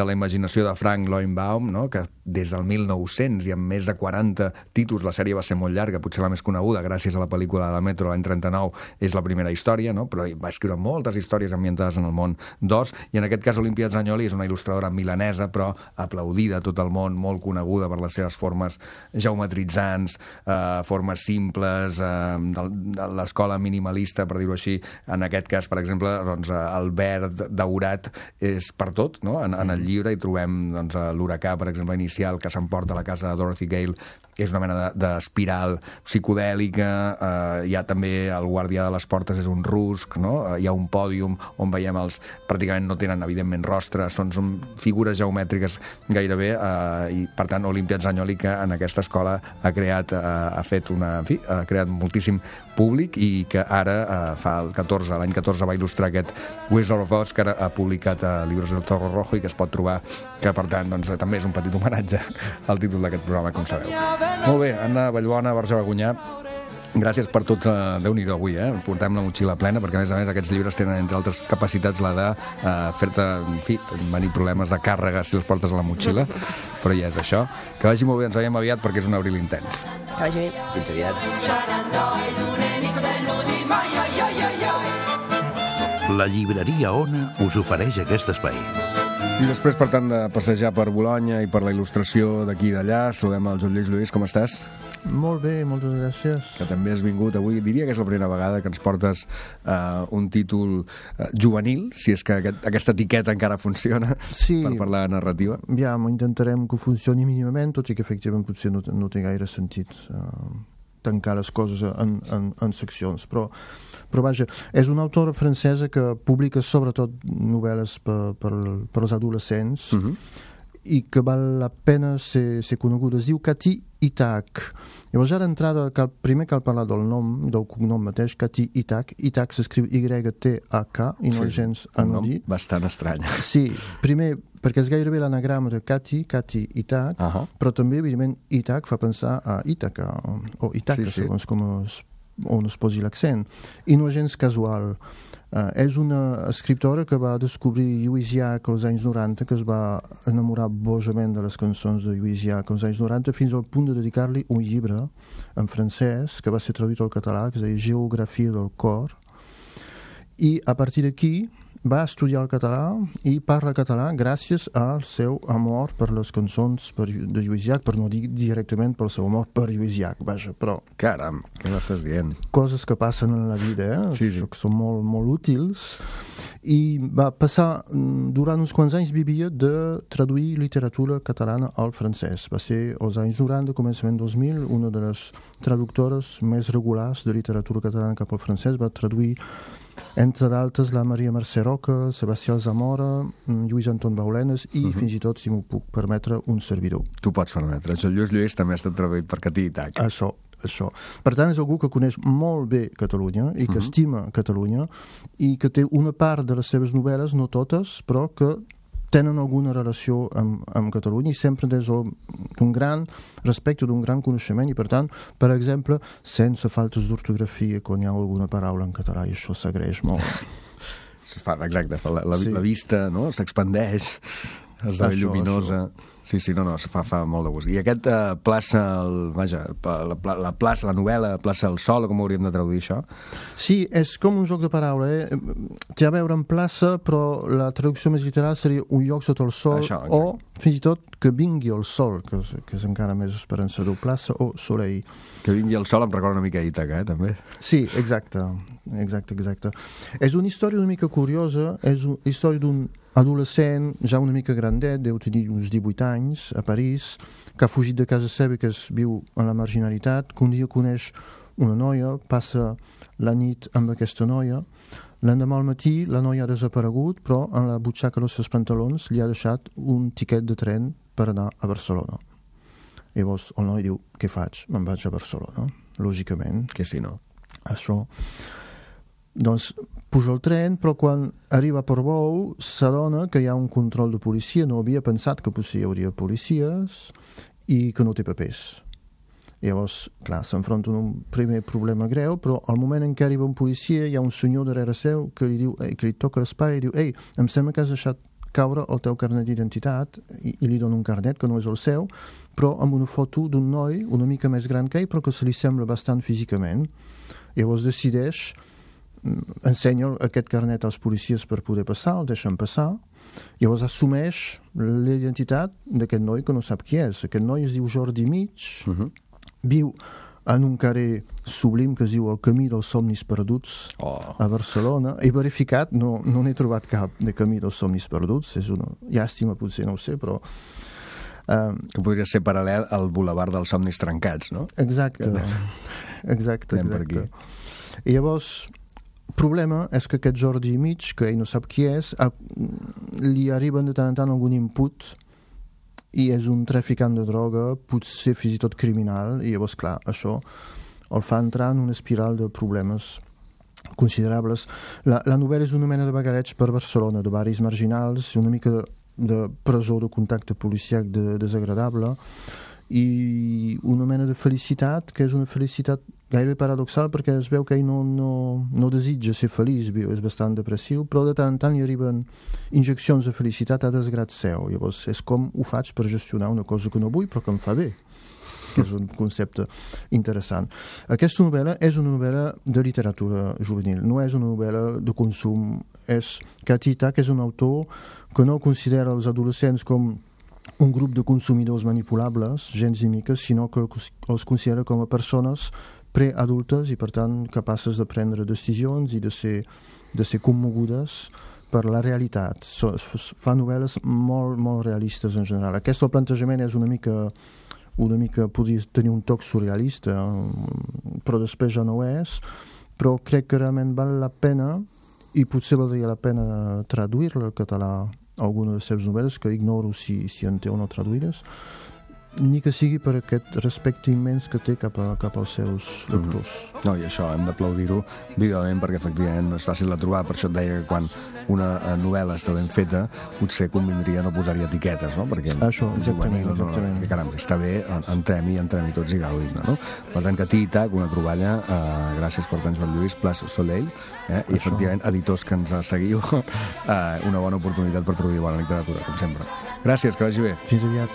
la imaginació de Frank Loinbaum, no? Que des del 1900 i amb més de 40 títols, la sèrie va ser molt llarga, potser la més coneguda, gràcies a la pel·lícula de la Metro l'any 39, és la primera història, no? Però va escriure moltes històries ambientades en el món d'Oz, i en aquest cas Olimpia Zagnoli és una il·lustradora milanesa, però aplaudida a tot el món, molt coneguda per les seves formes geometritzants, formes simples, de l'escola minimalista, per dir-ho així. En aquest cas, per exemple, doncs, el verd daurat és per tot, no? En el llibre hi trobem doncs, l'huracà, per exemple, inicial, que s'emporta a la casa de Dorothy Gale, és una mena d'espiral psicodèlica, hi ha també el guardià de les portes, és un rusc, no? Hi ha un pòdium on veiem pràcticament no tenen, evidentment, rostre, són figures geomètriques gairebé, i per tant Olimpia Zagnoli, que en aquesta escola ha creat moltíssim públic, i que ara l'any 14 va il·lustrar aquest Wizard of Oz, que ara ha publicat Libros del Zorro Rojo, i que es pot trobar, que per tant doncs, també és un petit homenatge al títol d'aquest programa, com sabeu. Molt bé, Anna Vallbona, Barja Bagunyà, gràcies per tot. Déu-n'hi-do avui, portem la motxilla plena, perquè a més aquests llibres tenen, entre altres capacitats, la de fer-te, en fi, venir problemes de càrrega si els portes a la motxilla, però ja és això. Que vagi molt bé, ens veiem aviat, perquè és un abril intens. Que vagi bé. Fins aviat. La llibreria Ona us ofereix aquest espai. I després, per tant, de passejar per Bolonya i per la il·lustració d'aquí i d'allà, saludem el Joan Lluís. Com estàs? Molt bé, moltes gràcies. Que també has vingut avui. Diria que és la primera vegada que ens portes un títol juvenil, si és que aquesta etiqueta encara funciona, per parlar de narrativa. Intentarem que funcioni mínimament, tot i que efectivament potser no té gaire sentit tancar les coses en seccions, però vaja, és una autora francesa que publica sobretot novel·les per als adolescents, i que val la pena ser coneguda. Es diu Kati Itak. Llavors, ja d'entrada, primer cal parlar del cognom mateix, Kati Itak. Itak s'escriu Y-T-A-K, i no és gens anodí. Bastant estrany. Sí, primer, perquè és gairebé l'anagrama de Kati Itak, però també, evidentment, Itak fa pensar a Ítaca, o Ítaca, segons on es posi l'accent. I no és gens casual. És una escriptora que va descobrir Lluís Llach als anys 90, que es va enamorar bojament de les cançons de Lluís Llach als anys 90, fins al punt de dedicar-li un llibre en francès que va ser traduït al català, que es deia Geografia del cor, i a partir d'aquí va estudiar el català i parla català gràcies al seu amor per les cançons de Lluís Llach, per no dir directament pel seu amor per Lluís Llach, vaja, però... Caram, què m'estàs dient? Coses que passen en la vida, sí. Que són molt, molt útils, i va passar, durant uns quants anys vivia de traduir literatura catalana al francès. Va ser als anys 90, començament 2000, una de les traductores més regulars de literatura catalana cap al francès. Va traduir, entre d'altres, la Maria Mercè Roca, Sebastià Zamora, Lluís Anton Baulenes i fins i tot, si m'ho puc permetre, un servidor. Tu pots permetre. El Lluís també ha estat traduït per Catí i Tac. Això. Per tant, és algú que coneix molt bé Catalunya i que estima Catalunya i que té una part de les seves novel·les, no totes, però que tenen alguna relació amb Catalunya i sempre des d'un gran respecte, d'un gran coneixement i, per tant, per exemple, sense faltes d'ortografia quan hi ha alguna paraula en català, i això s'agraeix molt. Exacte, la vista, no?, s'expandeix, esdevé lluminosa. Sí, no, fa molt de gust. I aquest plaça, la plaça, la novel·la, plaça el sol, com hauríem de traduir això? Sí, és com un joc de paraula, Té a veure amb plaça, però la traducció més literal seria un lloc sota el sol, això, o fins i tot que vingui el sol, que és encara més esperançador, plaça o soleil. Que vingui el sol em recorda una mica a Ítaca, també. Sí, exacte. És una història una mica curiosa, és una història d'un adolescent, ja una mica grandet, deu tenir uns 18 anys, a París, que ha fugit de casa seva, que viu en la marginalitat, que un dia coneix una noia, passa la nit amb aquesta noia, l'endemà al matí la noia ha desaparegut, però en la butxaca dels seus pantalons li ha deixat un tiquet de tren per anar a Barcelona. Llavors el noi diu, què faig? Me'n vaig a Barcelona, lògicament. Que si no? Això... Doncs puja el tren, però quan arriba a Portbou s'adona que hi ha un control de policia. No havia pensat que potser hi hauria policies i que no té papers. Llavors, clar, s'enfronta a un primer problema greu, però al moment en què arriba un policia hi ha un senyor darrere seu que li diu, que li toca l'espai i diu, em sembla que has deixat caure el teu carnet d'identitat, i li dona un carnet que no és el seu, però amb una foto d'un noi una mica més gran que ell, però que se li sembla bastant físicament. Llavors decideix, ensenya aquest carnet als policies per poder passar, el deixen passar, llavors assumeix la identitat d'aquest noi que no sap qui és. Aquest noi es diu Jordi Mig, viu en un carrer sublim que es diu el Camí dels Somnis Perduts a Barcelona. He verificat, no n'he trobat cap de Camí dels Somnis Perduts, és una llàstima, potser no ho sé, però... que podria ser paral·lel al Boulevard dels Somnis Trencats, no? Exacte. I llavors... El problema és que aquest Jordi Mig, que ell no sap qui és, li arriben de tant en tant algun input i és un traficant de droga, potser fins i tot criminal, i llavors, clar, això el fa entrar en una espiral de problemes considerables. La novel·la és una mena de vagareig per Barcelona, de barris marginals, una mica de presó, de contacte policiac desagradable, i una mena de felicitat, que és una felicitat gairebé paradoxal, perquè es veu que ell no desitja ser feliç, és bastant depressiu, però de tant en tant hi arriben injeccions de felicitat a desgrat seu. Llavors és com ho faig per gestionar una cosa que no vull però que em fa bé, que és un concepte interessant. Aquesta novel·la és una novel·la de literatura juvenil, no és una novel·la de consum. Catí i Tac és un autor que no considera els adolescents com un grup de consumidors manipulables, gens i miques, sinó que els considera com a persones preadultes i, per tant, capaces de prendre decisions i de ser commogudes per la realitat. Fa novel·les molt, molt realistes en general. Aquest plantejament és una mica podria tenir un toc surrealista, però després ja no ho és, però crec que realment val la pena, i potser valdria la pena traduir-la al català, alguna de les seves novel·les, que ignoro si en té o no traduïdes, ni que sigui per aquest respecte immens que té cap als seus lectors. No, i això hem d'aplaudir-ho vivament, perquè efectivament no és fàcil de trobar. Per això et deia que quan una novel·la està ben feta potser convindria no posar-hi etiquetes, no? Perquè això, exactament. Que caram, està bé, entrem-hi tots i gaudim-ne, no? Per tant, que Tic-Tac, una troballa, gràcies per tant, Joan Lluís, Place Soleil, i efectivament, editors que ens seguiu, una bona oportunitat per trobar bona literatura, com sempre. Gràcies, que vagi bé. Fins aviat.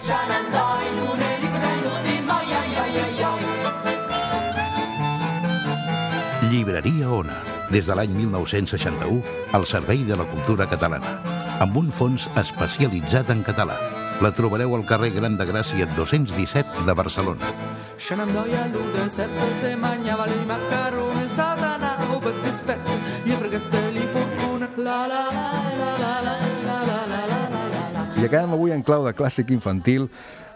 Llibreria Ona, des de l'any 1961, al servei de la cultura catalana, amb un fons especialitzat en català. La trobareu al carrer Gran de Gràcia 217 de Barcelona. Scenandoia all'udesert se mangiava i macaroni satana o per dispetto gli fregateli fortuna la la la la la la la la la. I acabem avui en clau de clàssic infantil,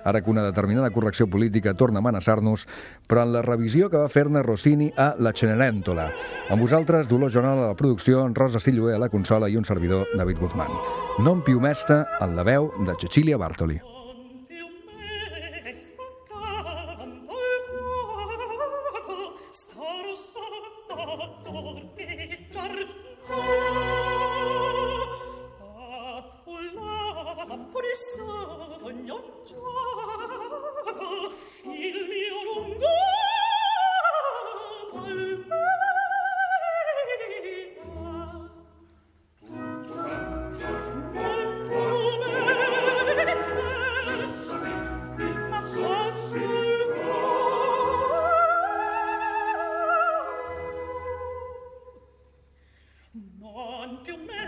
ara que una determinada correcció política torna a amenaçar-nos, però en la revisió que va fer-ne Rossini a La Cenerentola. Amb vosaltres, Dolors Jonal a la producció, Rosa Silloé a la consola i un servidor, David Guzmán. Non più mesta, en la veu de Cecilia Bartoli. Non più me